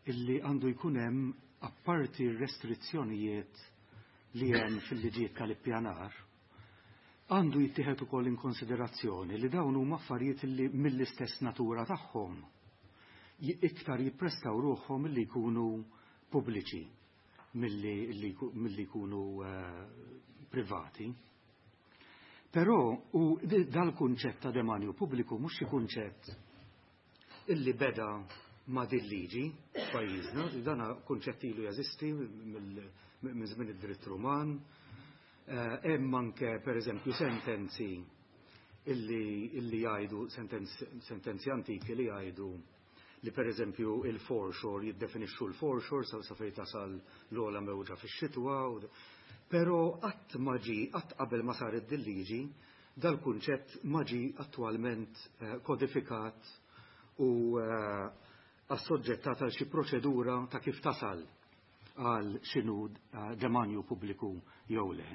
H: illi għandu jkun hemm apparti restrizzjonijiet li hemm fil-liġijiet tal-ippjanar, għandu jittieħed ukoll in konsiderazzjoni li dawn huma affarijiet li mill-istess natura tagħhom iktar jipprestaw ruħhom li jkunu pubbliċi milli jkunu privati. Però u dal-kunċett ta' demanju pubbliku mhux xi kunċett illi beda ma' din liġi f'pajjiżna, dana kunċett ilu jeżisti minn żmien id-dritt Ruman. Hemm anke pereżempju sentenzi illi jgħidu sentenzi antiki li jgħidu li pereżempju il-foreshore jiddefinixxu l-foreshore sa fejn tasal l-ogħla mewġa fix-xitwa, però qatt ma ġie, qatt qabel ma saret din liġi, dal-kunċett ma ġie attwalment kodifikat u assoġġettat għal xi proċedura ta' kif tasal għal x'inhu demanju pubbliku jew le.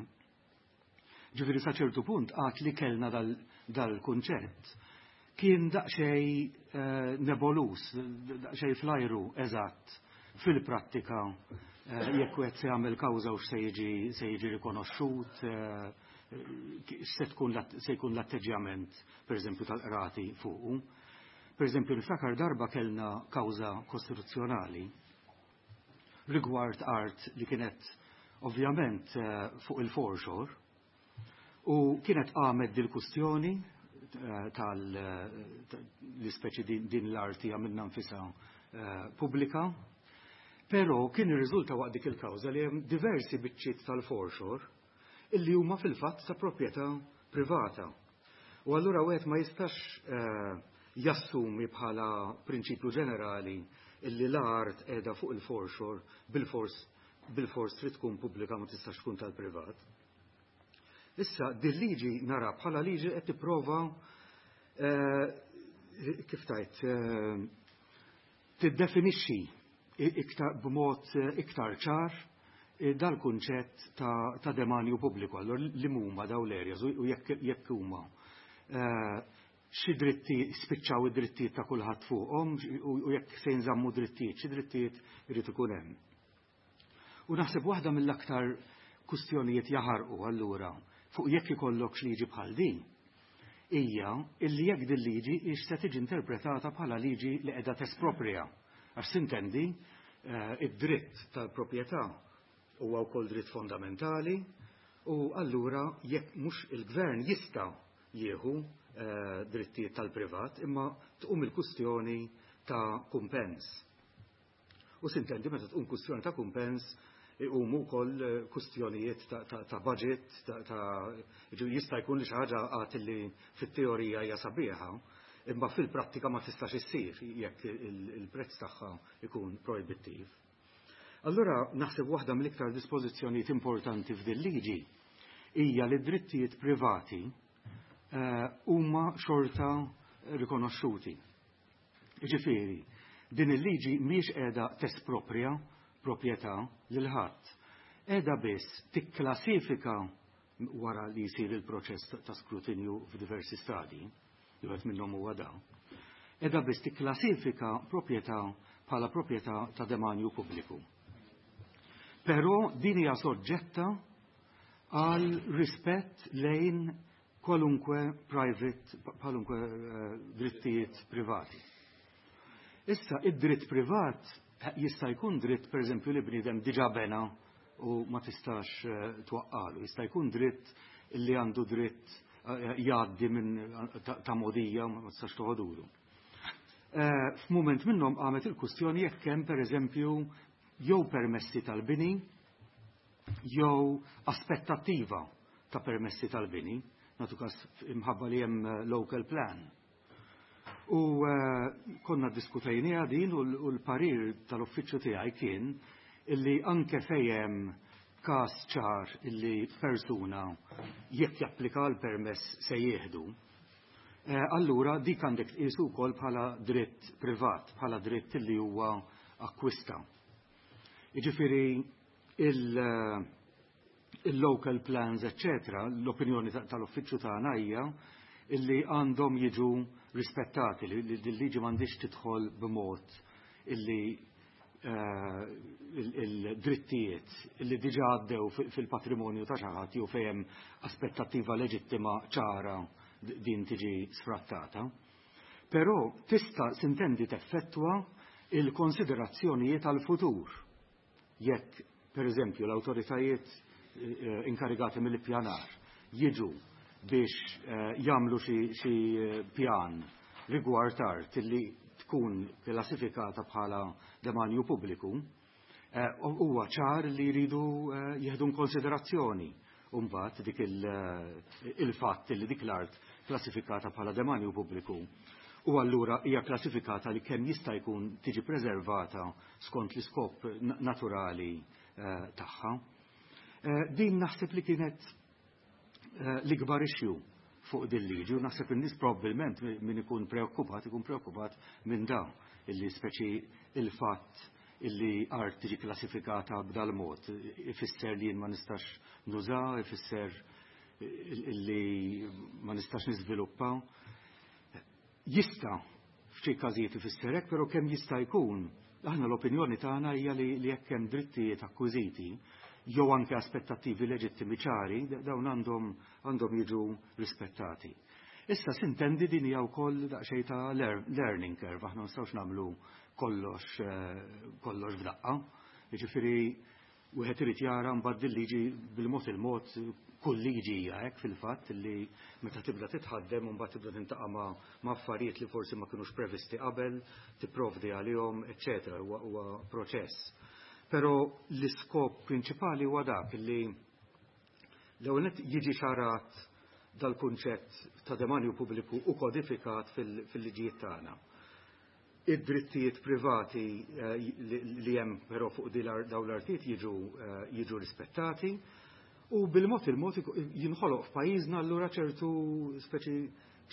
H: Ġifieri sa ċertu punt għad li kellna dal-kunċett kien daqsxejn nebolus, daqsxejn flajru eżatt fil-prattika jekk wieħed se jagħmel kawża u se jiġi rikonoxxut, se jkun l-atteġġjament pereżempju tal-qrati fuqu. Pereżempju niftakar darba kellna kawża kostituzzjonali rigward art li kienet ovvjament fuq il-foreshore u kienet qamet dil-kustjoni tal-ispeċi din l-arti għamilna nfisha pubblika, però kien irriżulta waqt dik il-kawża li hemm diversi biċċiet tal-foreshore illi huma fil-fatt ta' proprjetà privata. U allura wieħed ma jistax jassumi bħala prinċipju ġenerali illi l-art qiegħda fuq il-foreshore bil-fors trid tkun pubblika ma tistax tkun tal-privat. Issa, din liġi nara bħala liġi qed tipprova kif tajt tiddefinixxi iktar b'mod iktar ċar dal-kunċett ta' demanju pubbliku, allora li huma daw l-areas u jekk huma xi dritti spiċċaw id-drittijiet ta' kulħadd fuqhom u jekk se jinżammu drittijiet, xi drittijiet irid ikun hemm. U naħseb waħda mill-aktar kustjonijiet jaħarqu allura fuq jekk ikollok liġi bħal din hija illi jekk din liġi hix se tiġi interpretata bħala liġi li qiegħda tesproprja. Għax sintendi id-dritt tal-proprjetà huwa wkoll dritt fondamentali u allura jekk mhux il-gvern jista' jieħu drittijiet tal-privat imma tqum il-kustjoni ta' kumpens. U sintendi meta tqum kustjoni ta' kumpens iqumu wkoll kustjonijiet ta' budget, ta' jista' jkun li xi ħaġa għad li fit-teorija hija sabiħa, imma fil-prattika ma tistax issir jekk il-prezz tagħha ikun projbittiv. Allura naħseb waħda mill-iktar dispożizzjonijiet importanti f'din liġi hija li drittijiet privati huma xorta rikonoxxuti. Jiġifieri, din il-liġi mhijiex qiegħda tesproprja proprjetà lil ħadd. Qiegħda biss tikklassifika wara li jsir il-proċess ta' skrutinju f'diversi stadji, li wieħed minnhom huwa da, qiegħda biss tikklassifika proprjetà bħala proprjetà ta' demanju pubbliku. Però din hija soġġetta għal rispett lejn kwalunkwe private, kwalunkwe drittijiet privati. Issa, id-dritt privat jista' jkun dritt, per eżempju, li bniedem diġà bena u ma tistax twaqqalu. Jista' jkun dritt li għandu dritt jgħaddi minn ta' modija ma tistax toħodulu. F'mument minnhom qamet il-kwistjoni jekk hemm, per eżempju, jew permessi tal-bini jew aspettattiva ta' permessi tal-bini, nagħtu każ imħabba li hemm local plan. U konna diskutejniha din u l-parir tal-uffiċċju tiegħi kien illi anke fejn każ ċar illi persuna jekk japplika l-permess se jieħdu, allura dik għandek tqisu wkoll bħala dritt privat, bħala dritt illi huwa akkwista. Jiġifieri il-local plans, eccetera, l-opinjoni tal-uffiċċju tagħna hija illi għandhom jiġu rispettati, li l-liġi m'għandix tidħol b'mod illi il-drittijiet illi diġà għaddew fil-patrimonju ta' xi ħadd jew fejn aspettattiva leġittima ċara din tiġi sfrattata. Però tista' sintendi teffettwa il-konsiderazzjonijiet għal-futur. Jekk, per eżempju, l-awtoritajiet inkarigati mill-ippjanar jiġu biex jagħmlu xi pjan rigward art illi tkun klassifikata bħala demanju pubbliku, huwa ċar li jridu jieħdu konsiderazzjoni mbagħad dik il-fatt li dik l-art klassifikata bħala demanju pubbliku u allura hija klassifikata li kemm jista' jkun tiġi preservata skont l-iskop naturali tagħha. Din naħseb li kienet l-ikbar issue fuq din liġi u naħseb in-nies probabbilment min ikun preokkupat ikun preokkupat minn dawn illi speċi il-fatt illi art tiġi klassifikata b'dal mod ifisser li jien ma nistax nuża, ifisser illi ma nistax niżviluppa. Jista' f'xi każijiet ifisser hekk, però kemm jista' jkun, aħna l-opinjoni tagħna hija li jekk hemm drittijiet akkwiziti jew anke aspettattivi leġittimi ċari, dawn għandhom jiġu rispettati. Issa sintendi din hija wkoll daqsxejn ta' learning curve, aħna ma nistgħux nagħmlu kollox f'daqqa. Jiġifieri wieħed irid jara mbagħad il-liġi bil-mod il-mod, kull liġi hija hekk fil-fatt li meta tibda titħaddem u mbagħad tibda tintaqa' ma' affarijiet li forsi ma kinux previsti qabel, tipprovdi għalihom, eċċetera, huwa proċess. Però l-iskop prinċipali huwa dak li l-ewwel nett jiġi ċarat dal-kunċett ta' demanju pubbliku u kodifikat fil-liġijiet tagħna. Id-drittijiet privati li hemm però fuq dawn l-artijiet jiġu rispettati u bil-mod il-mod jinħoloq f'pajjiżna allura ċertu speċi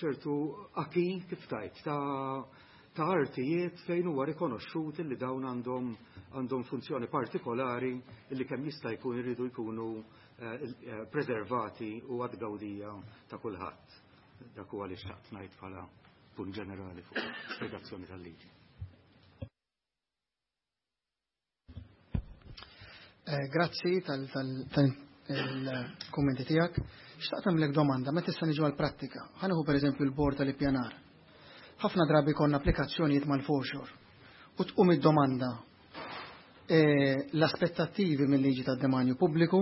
H: ċertu acquis kif tajt ta' artijiet fejn huwa rikonoxxut li dawn għandhom funzjoni partikolari li kemm jista' jkun iridu jkunu preservati u għad-gawdija ta' kulħadd. Dak huwa li xtaqt ngħid bħala punt ġenerali fuq spjegazzjoni tal-liġi.
F: Grazzi tal-kummenti tiegħek. Xtaqt nagħmlek domanda, meta issa niġu għall-prattika. Ħa nieħu pereżempju l-bord tal-ippjanar. Ħafna drabi konna applikazzjonijiet mal-foreshore. U tqum id-domanda l-aspettattivi mill-liġi tad-demanju pubbliku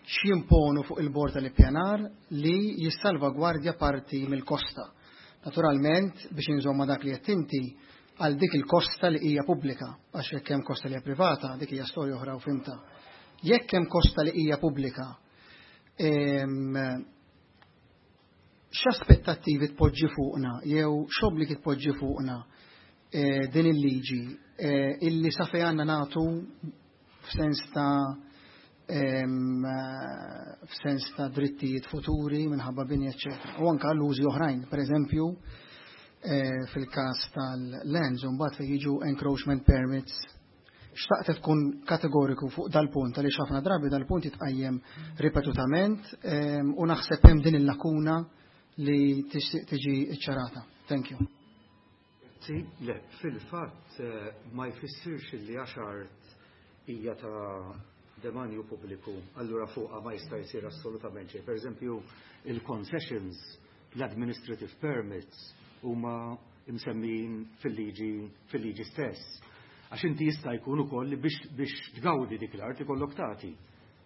F: x'jimponu fuq il-bord tal-ippjanar li jissalvagwardja parti mill-kosta. Naturalment, biex inżomma dak li qed inti għal dik il-kosta li hija pubblika, għax jekk hemm kosta li hija privata, dik hija storja oħra u fimta. Jekk hemm kosta li hija pubblika, x'aspettattivi tpoġġi fuqna jew x'obbligi tpoġġi fuqna din il-liġi illi sa fejn għandna nagħtu f'sens ta' drittijiet futuri minħabba bini, eċċetera. U anke l-użi oħrajn, per eżempju, Fil-każ tal-lands u mbagħad fejn jiġu encroachment permits. Xtaqt tkun kategoriku fuq dal-punt għaliex ħafna drabi dal-punt jitqajjem ripetutament u naħseb hemm din il-lakuna li tixtieq tiġi ċċarata. Thank you.
H: Sì, le, fil-fatt ma jfissirx li għax art hija ta' demanju pubbliku, allura fuqha ma jista' jsir assolutament xejn. Per eżempju, il-concessions, l-administrative permits huma msemmijin fil-liġi stess. Għax inti jista' jkun ukoll li biex tgawdi dik l-art ikollok tagħti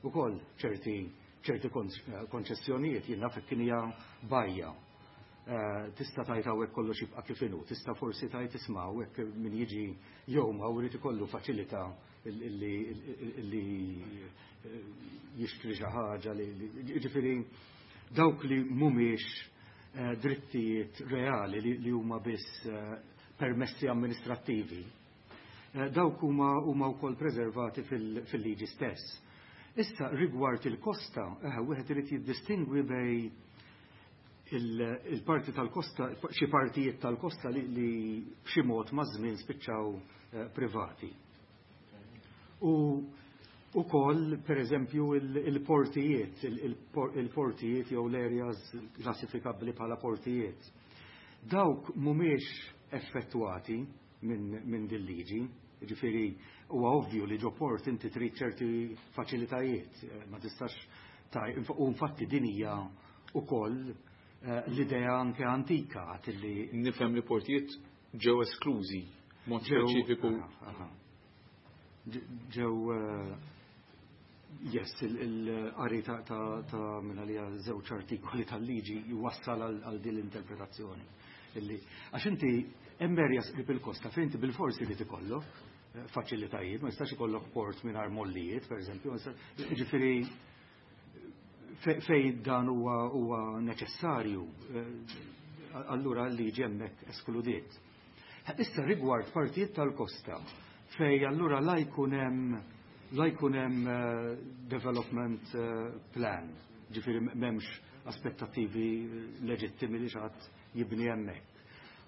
H: ukoll ċerti konċessjonijiet. Jien naf kien hija bajja. Tista' tgħid hawnhekk kollox jibqa' kif inhu, tista' forsi tgħid isma' hawnhekk min jiġi jew ma wrid ikollu faċilità illi jixtri xi ħaġa li ġifieri dawk li mhumiex drittijiet reali li huma biss permessi amministrattivi. Dawk huma wkoll preservati fil-liġi stess. Issa rigward il-kosta, wieħed irid jiddistingwi bejn il-parti tal-kosta, xi partijiet tal-kosta li b'xi mod maż-żmien spiċċaw privati. U ukoll, per eżempju, il-portijiet jew l-areas klassifikabbli bħala portijiet. Dawk mhumiex effettwati minn din liġi, ġifieri huwa ovvju li ġo port inti trid ċerti faċilitajiet, ma tistax taj, u infatti din hija ukoll l-idea anke antika li
B: Nifhem li portijiet ġew esklużi mod speċifiku.
H: Ġew yes, il-qari ta' minn għalija żewġ artikoli tal-liġi jwassal għal din l-interpretazzjoni. Għax inti hemm areas qrib il-kosta fejn inti bil-forsi li tikollok faċilitajiet, ma jistax ikollok port mingħajr mollijiet, per eżempju, ġifieri fej dan huwa neċessarju, allura l-liġi hemmhekk eskludiet. Issa rigward partijiet tal-kosta fej allura la jkun hemm development plan, ġifieri m'hemmx aspettattivi leġittimi li xi ħadd jibni hemmhekk.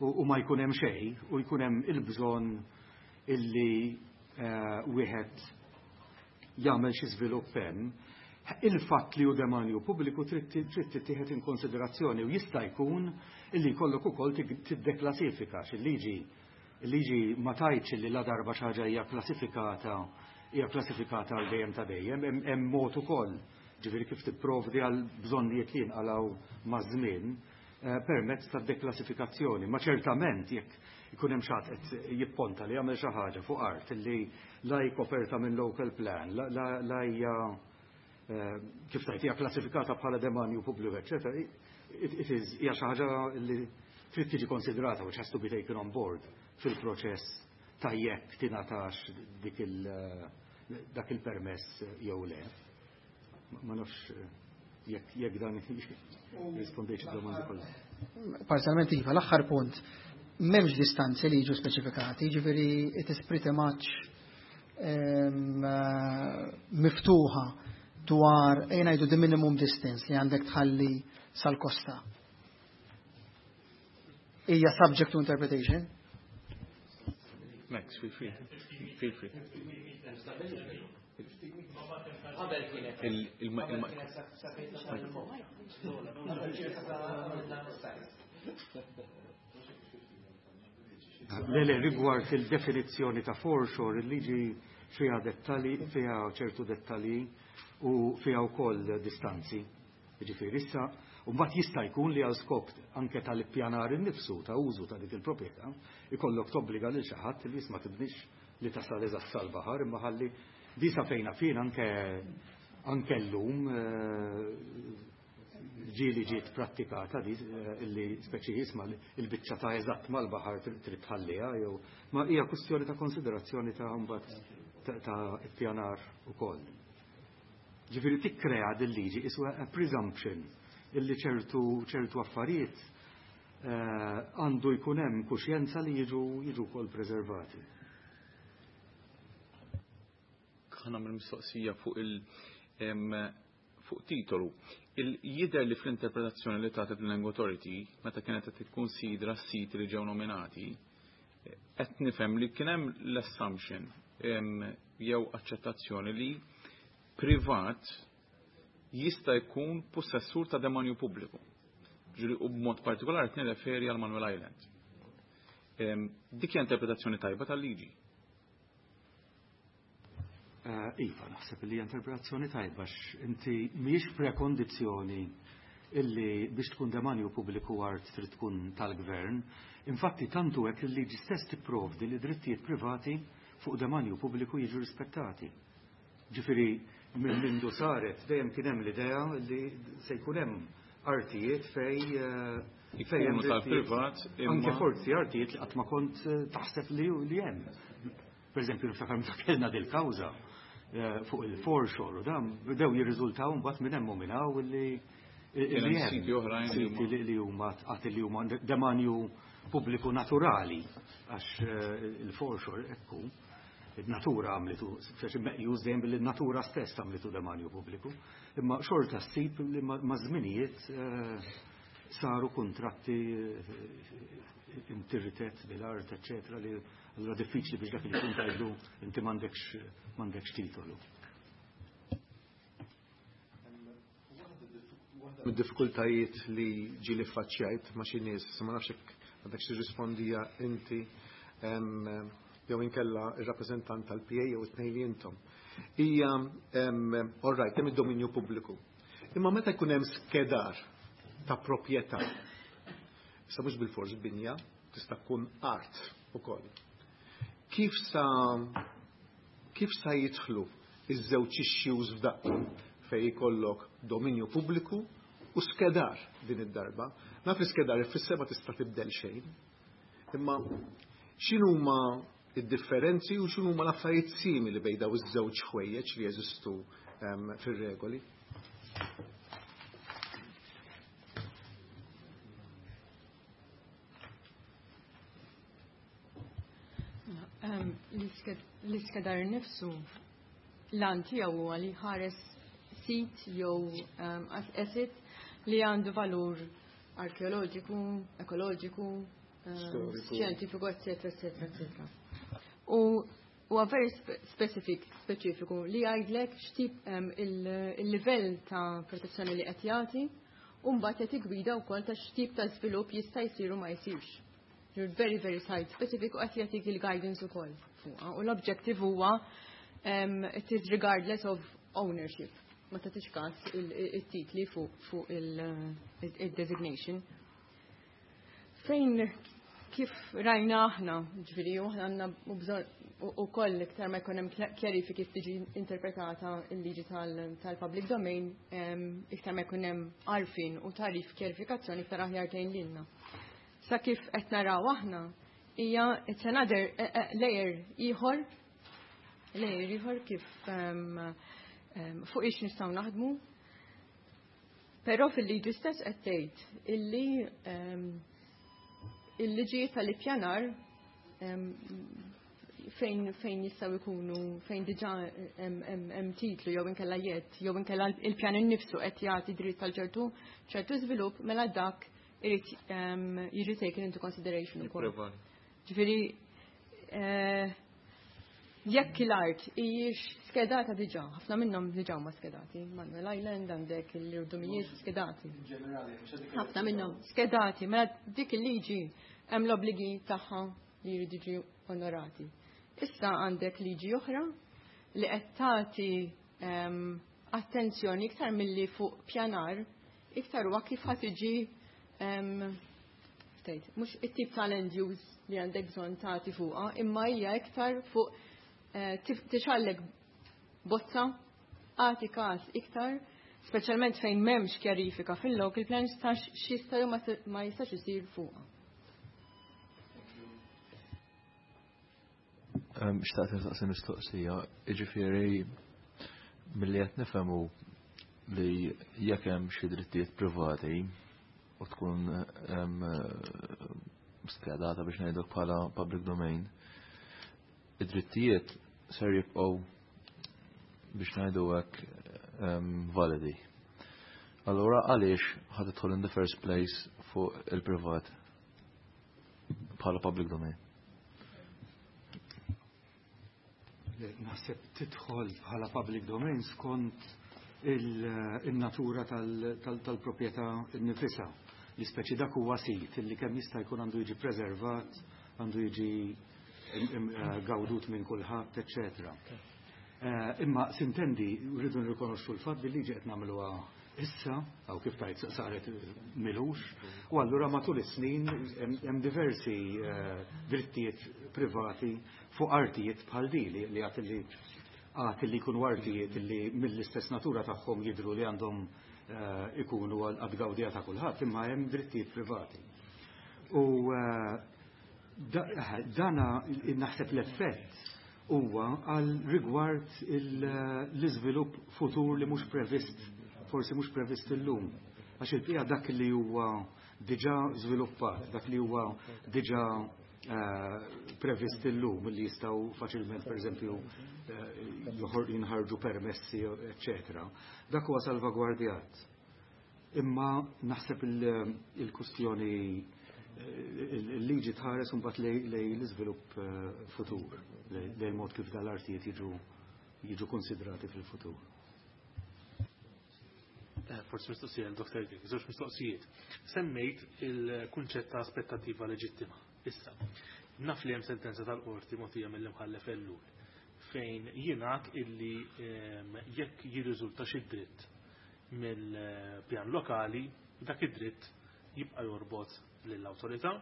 H: U ma jkun hemm xejn u jkun hemm il-bżonn illi wieħed jagħmel xi żvilupp hemm, il-fatt li hu demanju pubbliku trid tittieħed in konsiderazzjoni u jista' jkun illi jkollok ukoll tiddeklassifika il-liġi ma tgħidx li la darba xi ħaġa hija klassifikata għal dejjem ta' dejjem, hemm mod ukoll ġifieri kif tipprovdi għal bżonnijiet li jinqalgħu maż-żmien permezz ta' deklassifikazzjoni. Ma ċertament jekk ikun hemm xi ħadd qed jipponta li jagħmel xi ħaġa fuq art li la hi koperta minn local plan, la hija kif tajt hija klassifikata bħala demanju pubbliku, eċetera, it is hija xi ħaġa li trid tiġi konsidrata, which has to be taken on board fil-proċess ta' jekk tingħatax dak il-permess jew le. Ma nafx jekk dan rispondejx id-domandi kollha.
F: Parzjalment iva, l-aħħar punt. M'hemmx distanzi li jiġu speċifikati, ġifieri it is pretty much miftuħa dwar ejja ngħidu the minimum distance li għandek tħalli sal-kosta. Hija subject to interpretation.
B: Max, feel free. Feel free.
E: Qabel kienet.
B: Il-
E: Kienet sa fejn tasal il-mod.
H: Le, rigward il-definizzjoni ta' foreshore, il-liġi fiha dettali, fiha ċertu dettali u fiha wkoll distanzi. Ġifieri issa, u mbagħad jista' jkun li għal skop anke tal-ippjanar innifsu ta' użu ta' dik il-proprjetà, ikollok tobbliga lil xi ħadd li jisma' tibnix li tasal eżatt sal-baħar, imma ħalli di sa fejna fin anke llum ġieli ġiet prattikata di illi speċi jisma' il-biċċa ta' eżatt mal-baħar trid tħalliha jew ma hija kwistjoni ta' konsiderazzjoni ta' mbagħad ta' ippjanar ukoll. Ġifieri tikkrea din liġi iswa a presumption illi ċertu affarijiet għandu jkun hemm kuxjenza li jiġu wkoll preservati.
B: Ħa nagħmel mistoqsija fuq Fuq titolu, jidher li fl-interpretazzjoni li tagħtet l-Land Authority meta kienet qed tikkunsidra s-siti li ġew nominati, qed nifhem li kien hemm l-assumption jew aċċettazzjoni li privat jista' jkun possessur ta' demanju pubbliku. Ġifieri u b'mod partikolari qed nirreferi għal Manuel Island. Dik hija interpretazzjoni tajba tal-liġi.
H: Iva, naħseb li hija interpretazzjoni tajba inti mhijiex prekondizzjoni illi biex tkun demanju pubbliku art trid tkun tal-gvern. Infatti tantu hekk il-liġi stess tipprovdi li drittijiet privati fuq demanju pubbliku jiġu rispettati. Ġifieri minn mindu saret dejjem kien hemm l-idea li se jkun hemm artijiet fej hemm
B: tal-privat
H: anke forsi artijiet li qatt ma kont taħseb li hemm. Per eżempju, niftakar meta kellna dil-kawża fuq il-foreshore u dan bdew jirriżultaw mbagħad minn hemm u minn hawn li
B: hemm siti oħrajn
H: siti li huma qatt li huma demanju pubbliku naturali għax il-foreshore ekku il-natura għamlitu, speċi meqjus dejjem billi natura stess għamlitu demanju pubbliku, imma xorta ssib li ma' żminijiet saru kontratti intirritet bil-art, eccetera, li allura diffiċli biex dak li kun tajdu inti m'għandekx titolu.
I: Mid-diffikultajiet li ġieli faċċjajt ma' xi nies, ma nafx hekk għandek xi rispondija inti jew inkella ir-rappreżentant tal-PA jew it-tnejn li intom. Hija all right, hemm id-dominju pubbliku. Imma meta jkun hemm skedar ta' proprjetà, issa mhux bil-fors binja, tista' tkun art ukoll. Kif sa jidħlu iż-żewġ issues f'daqqa fejn jkollok dominju pubbliku u skedar din id-darba? Naf li skedar ifisser ma tista' tibdel xejn. Imma x'inhuma id-differenzi u x'inhuma l-affarijiet simili bejn daw iż-żewġ ħwejjeġ li jeżistu fir-regoli?
A: L-iskedar nifsu l-għan tiegħu huwa li ħares sit jew asset li għandu valur arkeoloġiku, ekoloġiku, xjentifiku, eccetera, eccetera, eccetera. U huwa very specific, speċifiku li jgħidlek x'tip il-livell ta' protezzjoni li qed jagħti u mbagħad qed gwida wkoll ta' x'tip ta' żvilupp jista' jsir u ma jsirx. You're very, very site specific u qed jagħtik il-guidance ukoll fuqha. U l-objective huwa it is regardless of ownership. Ma tagħtix każ it-titli fuq il-designation. Fejn kif rajna aħna, ġifieri, u aħna għandna bżonn ukoll iktar ma jkun hemm kjarifiki kif tiġi interpretata l-liġi tal-public domain, iktar ma jkun hemm għarfien u tarif kjarifikazzjoni iktar aħjar tgħin lilna. Sa kif qed naraw aħna hija it's another layer ieħor kif fuq ix nistgħu naħdmu. Però fil-liġi stess qed tgħid illi il-liġi tal-ippjanar fejn jistgħu jkunu fejn diġà hemm titlu jew inkella jedd jew inkella il-pjan innifsu qed jagħti dritt tal ċertu żvilupp mela dak irid jiġi taken into consideration ukoll. Ġifieri jekk l-art hijiex skedata diġà, ħafna minnhom diġà huma skedati. Manuel Island għandek il-irdumijiet skedati. Ħafna minnhom skedati, mela dik il-liġi hemm l-obbligi tagħha li jridu jiġu onorati. Issa għandek liġi oħra li qed tagħti attenzjoni iktar milli fuq pjanar, iktar huwa kif ħadd tiġi mhux it-tip ta' land use li għandek bżonn tagħti fuqha, imma hija iktar fuq tixallek bozza għati każ iktar, speċjalment fejn m'hemmx kjarifika fil-local plans ta' x'jista' jew ma jistax isir fuqha.
D: Xtaqt nistaqsi mistoqsija, jiġifieri milli qed nifhemu li jekk hemm xi drittijiet privati u tkun skedata biex ngħidlek bħala public domain, id-drittijiet ser jibqgħu biex ngħidu hekk validi. Allura għaliex ħa tidħol in the first place fuq il-privat bħala public domain?
H: Naħseb tidħol bħala public domain skont il-natura tal-proprjetà nnifisha. Li speċi dak huwa sit li kemm jista' jkun għandu jiġi preservat, għandu jiġi gawdut minn kulħadd, eċċetera. Imma sintendi rridu nirrikonoxxu l-fatt li liġi qed nagħmluha issa, aw kif tajt saret milux, u allura matul is-snin hemm diversi drittijiet privati fuq artijiet bħal di li għad li għad li jkunu artijiet li mill-istess natura tagħhom jidhru li għandhom ikunu għad-gawdija ta' kulħadd, imma hemm drittijiet privati. U dana naħseb l-effett huwa għal rigward l-iżvilupp futur li mhux previst, forsi mhux previst illum. Għax il-bqija dak li huwa diġà żviluppat, dak li huwa diġà previst illum li jistgħu faċilment pereżempju jinħarġu permessi, eċċetera. Dak huwa salvagwardjat. Imma naħseb il-kustjoni il-liġi tħares imbagħad lej l-iżvilupp futur, lej il-mod kif dal-artijiet jiġu konsidrati fil-futur.
G: Forsi mistoqsija l-Dr. Grech, żewġ mistoqsijiet. Semmejt il-kunċett ta' aspettattiva leġittima. Issa, naf li hemm sentenza tal-qorti mogħtija mill-imħallef Ellul fejn jingħad illi jekk jirriżulta xi dritt mill-pjan lokali, dak id-dritt jibqa' jorbot lill-awtorità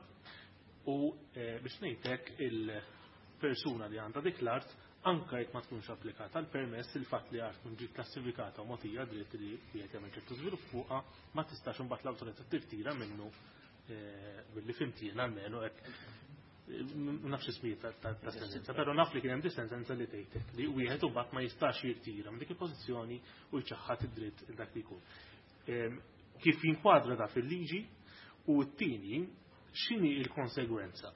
G: u biex ngħidlek il-persuna li għandha dik l-art anka jekk ma tkunx applikata l-permess, il-fatt li art tkun ġiet klassifikata u mogħtija dritt li wieħed jagħmel ċertu żvilupp fuqha ma tistax imbagħad l-awtorità tirtira minnu billi fhimt jien almenu hekk ma nafx ismijiet ta' sentenza, però naf li kien hemm sentenza li tgħidlek li wieħed imbagħad ma jistax jirtira minn dik il-pożizzjoni u jċaħħad id-dritt dak li jkun. Kif jinkwadra da fil-liġi u t-tieni x'inhi l-konsegwenza?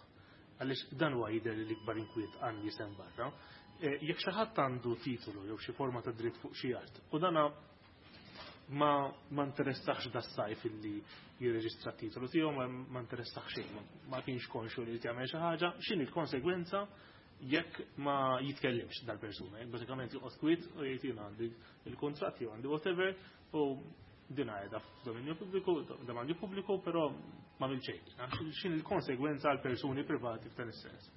G: Għaliex dan huwa jidher li l-ikbar inkwiet għan jisem barra. Jekk xi ħadd għandu titolu jew xi forma ta' dritt fuq xi art u dana ma interessax da sajf illi jirreġistra titolu tiegħu, ma interessax xejn, ma kienx konxu li jagħmel xi ħaġa, x'inhi l-konsegwenza jekk ma jitkellimx dal-persuna, jekk bażikament joqgħod kwiet u jgħid jien għandi il-kuntratt jew għandi whatever u din qiegħda f'dominju pubbliku, domanju pubbliku, però ma mill xejn. X'inhi l-konsegwenza għal persuni privati f'dan is-sens?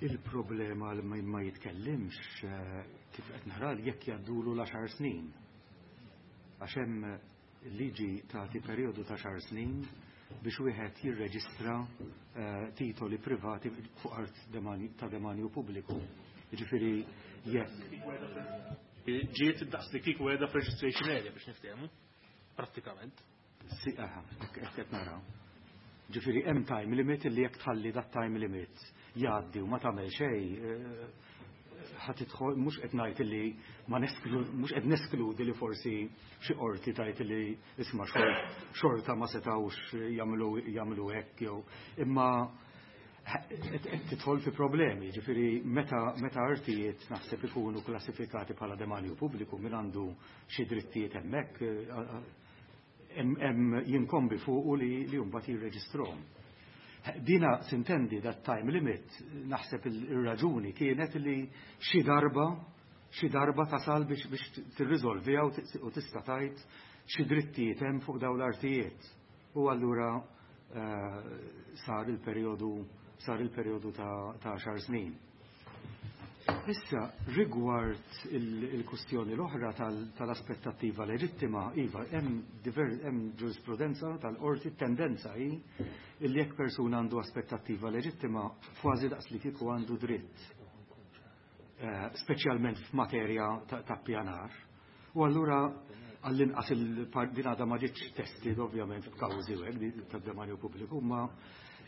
H: Il-problema li ma jitkellimx kif qed nara jekk jgħaddulu l-10 snin. Għax hemm liġi tagħti perjodu ta' 10 snin biex wieħed jirreġistra titoli privati fuq art ta' demanju pubbliku. Jiġifieri jekk
G: ġiet daqs li kieku qiegħda f'registration area biex niftehmu, prattikament.
H: Si, aha, hekk qed naraw. Ġifieri hemm time limit li jekk tħalli dat time limit jgħaddi u ma tagħmel xejn, ħa tidħol, mhux qed ngħid li ma nesklu, mhux qed neskludi li forsi xi qorti tgħid li isma' xorta ma setgħux jagħmlu hekk jew imma qed tidħol fi problemi, ġifieri meta artijiet naħseb ikunu klassifikati bħala demanju pubbliku min għandu xi drittijiet hemmhekk hemm jinkombi fuqu li mbagħad jirreġistrahom. Dina sintendi dat time limit naħseb il-raġuni kienet li xi darba tasal biex tirriżolviha u tista' tgħid xi drittijiet hemm fuq dawn l-artijiet. U allura sar il-perjodu ta' 10 snin. Issa, rigward il-kustjoni l-oħra tal-aspettattiva leġittima, iva, hemm ġurisprudenza tal-qorti, tendenza hi illi jekk persuna għandu aspettattiva leġittima, kważi daqs li kieku għandu dritt. Speċjalment f'materja ta' pjanar. U allura għall-inqas din għadha ma ġietx tested ovvjament f'kawżi u hekk tad-demanju pubbliku, ma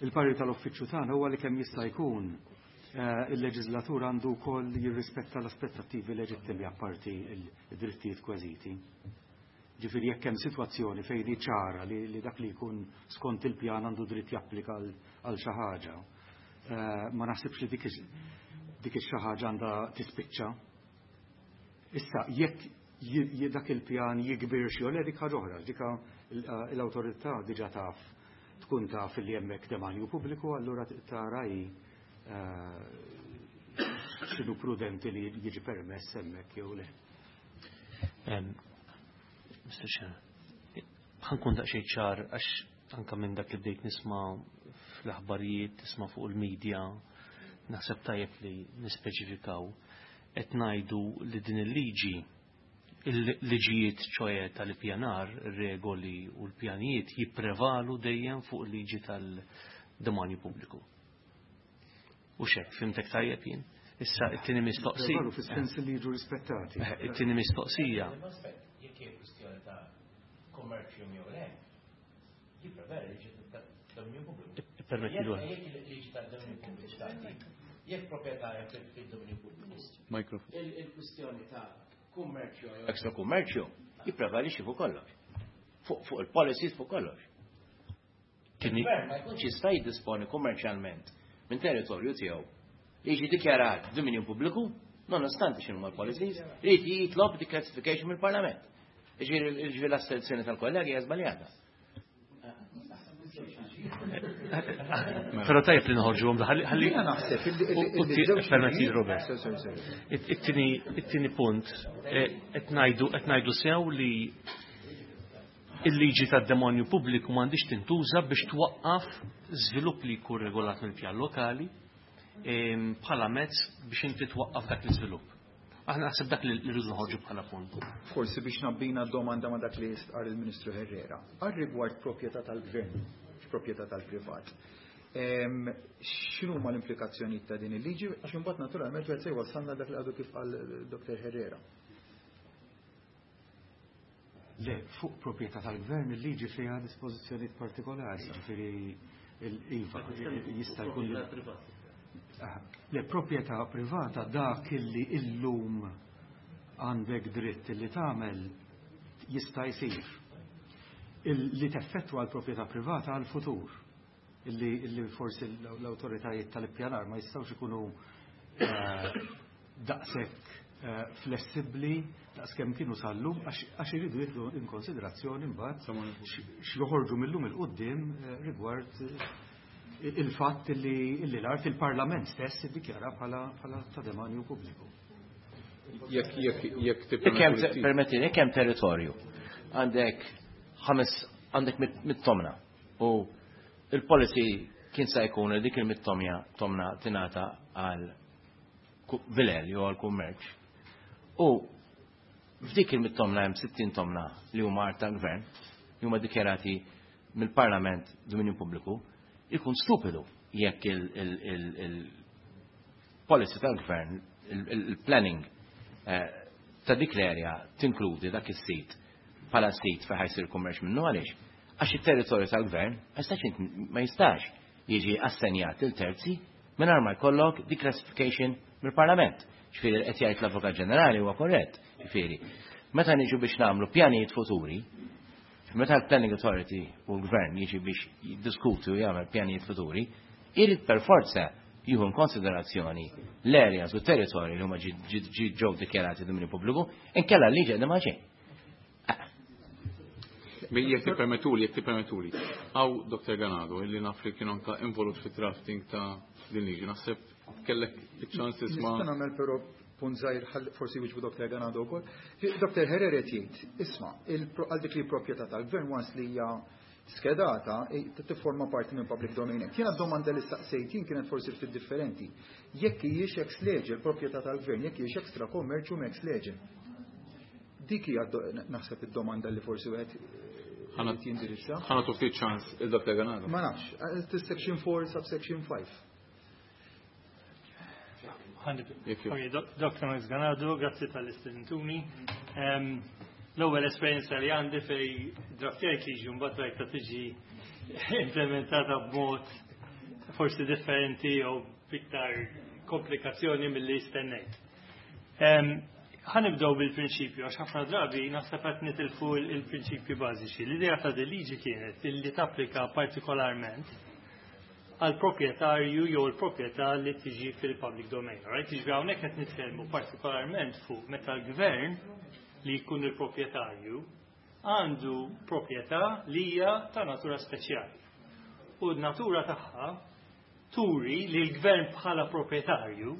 H: il-parir tal-uffiċċju tagħna huwa li kemm jista' jkun il-leġislatur għandu wkoll jirrispetta l-aspettattivi leġittimi apparti il-drittijiet kważiti. Ġifieri jekk hemm sitwazzjoni fejn hi ċara li dak li jkun skont il-pjan għandu dritt japplika għal xi ħaġa, ma naħsibx li dik ix-xi ħaġa għandha tispiċċa. Issa jekk Dak il-pjan jikbirx jew le, dik ħaġa oħra, dika l-awtorità diġà taf, tkun taf li hemmhekk demanju pubbliku, allura tara hi x'inhu prudenti li jiġi permess hemmhekk jew le.
C: Mr. Chair, ħa nkun daqsxejn ċar, għax anka minn dak li bdejt nisma' fl-aħbarijiet, tisma' fuq il-medja, naħseb tajjeb li nispeċifikaw. Qed ngħidu li din il-liġi, il-liġijiet ċoè tal-ippjanar, regoli u l-pjanijiet jipprevalu dejjem fuq il-liġi tal-demanju pubbliku. U xek, fhimtek tajjeb jien? Issa, it-tieni mistoqsija.
H: Jipprevalu fis-sens li jiġu rispettati.
C: It-tieni mistoqsija.
E: Jekk hija kwistjoni ta' kummerċju jew le, jipprevali liġi tad-dominju pubbliku.
C: Permetti l
E: Jekk il-liġi tad-dominju pubbliku tagħti, jekk proprjetà fil-dominju pubbliku.
B: Mikrofon.
E: Il-kwistjoni ta' kummerċju jew ekstra kummerċju jipprevali xi fuq kollox. Fuq il-policies, fuq kollox. Il-gvern ma jkunx jista' jiddisponi kummerċjalment minn territorju tiegħu li jiġi dikjarat dominju pubbliku, nonostante x'inhu l-policies, irid jitlob declassification mill-Parlament. Ġifieri l-asserzjoni tal-kollegi hija żbaljata.
C: Però tajjeb li noħorġu għom ħalli.
J: Jiena naħseb illi żewġ
C: Permetti, Robert.
J: Sorry, sorry, sorry.
C: It-tieni punt, qed ngħidu sew li il-liġi tad-demonju pubbliku m'għandix tintuża biex twaqqaf żvilupp li jkun regolat mill-pjan lokali bħala mezz biex inti twaqqaf dak l-iżvilupp. Aħna naħseb dak li rridu noħorġu bħala punt.
J: Forsi biex nabbina domanda ma' dak li jistqar il-Ministru Herrera. Għal rigward proprjetà tal-gvern, proprjetà tal-privat. X'inhu ma l-implikazzjonijiet ta' din il-liġi? Għax imbagħad naturalment wieħed se jwassalna dak li għadu kif qal Dr. Herrera.
H: Le, fuq proprjetà tal-gvern il-liġi fiha dispożizzjonijiet partikolari, ġifieri il-iva jista' jkun Le, proprjetà privata, dak illi illum għandek dritt illi tagħmel jista' jsir. Li teffettwa l-proprjetà privata għal-futur illi forsi l-awtoritajiet tal-ippjanar ma jistgħux ikunu daqshekk flessibbli daqskemm kienu sal-lum, għax iridu jieħdu in konsiderazzjoni mbagħad x'joħorġu mil-lum 'il quddiem rigward il-fatt illi l-art il-Parlament stess iddikjara bħala ta' demanju pubbliku.
B: Jekk
E: Jekk permetti, jekk hemm territorju, għandek ħames, għandek 100 tomna u il-policy kien sa jkun li dik il-100 tomna tomna tingħata għal vilel jew għal kummerċ. U f'dik il-100 tomna hemm 60 tomna li huma art tal-gvern, li huma dikjarati mill-Parlament dominju pubbliku, ikun stupidu jekk il-policy tal-gvern, il-planning ta' dik l-area tinkludi dak is-sit bħala sit fejn ħa jsir kummerċ minnu. Għaliex? Għax it-territorju tal-gvern ma jistax jiġi assenjat lil terzi mingħajr ma jkollok declassification mill-Parlament. Ġifieri qed jgħid l-Avukat Ġenerali huwa korrett. Ġifieri, meta niġu biex nagħmlu pjanijiet futuri, meta l-Planning Authority u l-Gvern jiġi biex jiddiskuti u jagħmel pjanijiet futuri, irid per forza jieħu in konsiderazzjoni l-areas u territorji li huma ġew dikjarati dominju pubbliku, inkella l-liġi għadha ma xejn.
B: Jekk tippermettuli, jekk tippermettuli. Hawn Dr. Ganado, illi naf li kien anka involut fit drafting ta' din liġi, naħseb kellek iċ-ċans tisma'.
J: Nista' nagħmel però punt żgħir, forsi wieġbu Dr. Ganado wkoll. Dr. Herrera qed jgħid, isma', għal dik li proprjetà tal-gvern, once li hija skedata, tifforma parti minn public domain act. Jiena d-domanda li staqsejt jien kienet forsi ftit differenti. Jekk hijiex ex lege l-proprjetà tal-gvern, jekk hijiex extra commercium ex lege. Dik hija naħseb id-domanda li forsi wieħed irid jindirizza.
B: Ħa nagħtu ftit ċans il-Dr. Ganado.
J: Ma nafx, section 4 subsection 5.
B: Jekk
K: Ok, Dr. Max Ganado, grazzi tal-istedintuni. L-ewwel esperjenza li għandi fej draftjajt liġi, mbagħad rajta tiġi implementata b'mod forsi differenti jew b'iktar komplikazzjoni milli stennejt. Ħa nibdew bil-prinċipju, għax ħafna drabi naħseb qed nitilfu il-prinċipji bażiċi. L-idea ta' din liġi kienet illi tapplika partikolarment għal proprjetarju jew il-proprjetà li tiġi fil-public domain. Right? Jiġifieri hawnhekk qed nitkellmu partikolarment fuq meta l-gvern li jkun il-proprjetarju għandu proprjetà li hija ta' natura speċjali. U n-natura tagħha turi li l-gvern bħala proprjetarju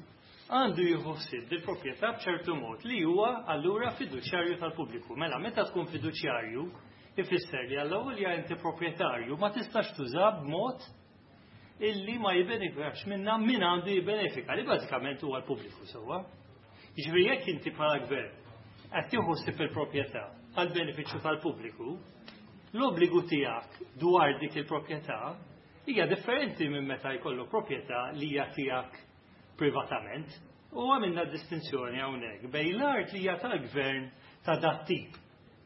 K: għandu jieħu ħsieb bil-proprjetà b'ċertu mod li huwa allura fiduċjarju tal-pubbliku. Mela meta tkun fiduċjarju ifisser li għall-ewwel inti proprjetarju ma tistax tuża b'mod illi ma jibbenefikax minna min għandu jibbenefika li bażikament huwa l-pubbliku sewwa. Jiġifieri jekk inti bħala gvern qed tieħu ħsieb il-proprjetà għal benefiċċju tal-pubbliku, l-obbligu tiegħek dwar dik il-proprjetà hija differenti minn meta jkollu proprjetà li hija tiegħek privatament. U għamilna distinzjoni hawnhekk bejn l-art li hija tal-gvern ta' dat tip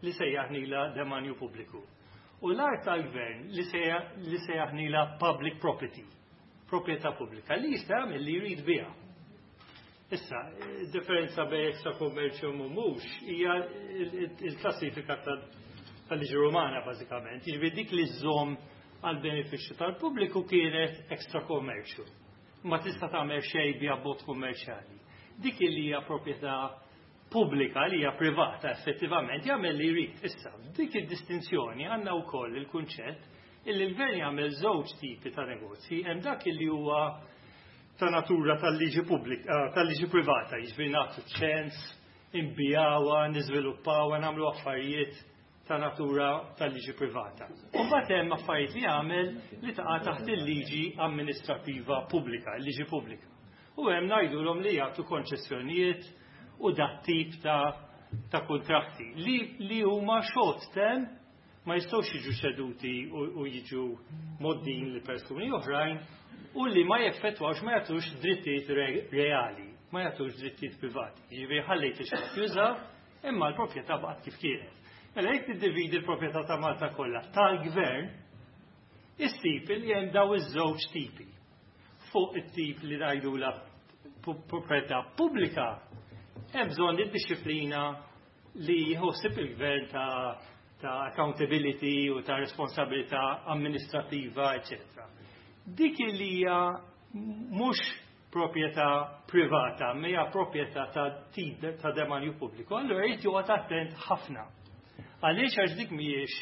K: li sejjaħnila demanju pubbliku. U l-art tal-gvern li sejjaħnila public property, proprjetà pubblika, li jista' jagħmel li jrid biha. Issa, differenza bejn extra commercium u mhux hija il-klassifika tal-liġi Romana bażikament. Jiġifieri dik li żżomm għal benefiċċju tal-pubbliku kienet extra commercial. Ma tista' tagħmel xejn biha b'mod kummerċjali. Dik li hija proprjetà pubblika li hija privata effettivament jagħmel li jrid. Issa, f'dik id-distinzjoni għandna wkoll il-kunċett illi l-gvern jagħmel żewġ tipi ta' negozji, hemm dak illi huwa ta' natura tal-liġi pubblika, tal-liġi privata, jiġifieri nagħtu ċens, inbigħuha, niżviluppawha, nagħmlu affarijiet ta' natura tal-liġi privata. U mbagħad hemm affarijiet li jagħmel li taqa' taħt il-liġi amministrattiva pubblika, il-liġi pubblika. U hemm ngħidulhom li jagħtu konċessjonijiet u dat tip ta' kontratti li huma short term, ma jistgħux jiġu ċeduti u jiġu mgħoddin li persuni oħrajn u li ma jeffettwawx, ma jagħtux drittijiet reali, ma jagħtux drittijiet privati. Jiġifieri ħallejt ix juża imma l-proprjetà baqgħet kif kienet. Mela jekk tiddividi l-proprjetà ta' Malta kollha tal-gvern, issib li hemm daw iż-żewġ tipi. Fuq it-tip li ngħidula proprjetà pubblika, hemm bżonn id-disciplina li jħossib il-gvern ta' accountability u ta' responsabilità amministrativa, eccetera. Dik li hija mhux proprjetà privata, ma hija proprjetà ta' tip ta' demanju pubbliku, allura jrid joqgħod attent ħafna. Għaliex? Għax dik mhijiex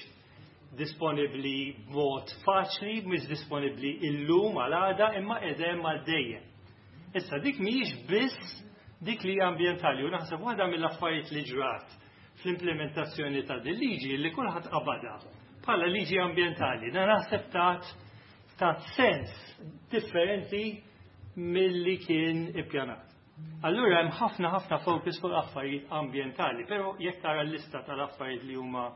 K: disponibbli b'mod faċli, mhix disponibbli illum għal għada, imma qegħdem għal dejjem. Issa dik mhijiex biss dik li hija ambjentali, u naħseb waħda mill-affarijiet li ġrat fl-implementazzjoni ta' din liġi li kulħadd qabadha bħala liġi ambjentali, na naħseb tat sens differenti milli kien ippjanat. Allura hemm ħafna ħafna focus fuq affarijiet ambjentali, però jekk tara l-lista tal-affarijiet li huma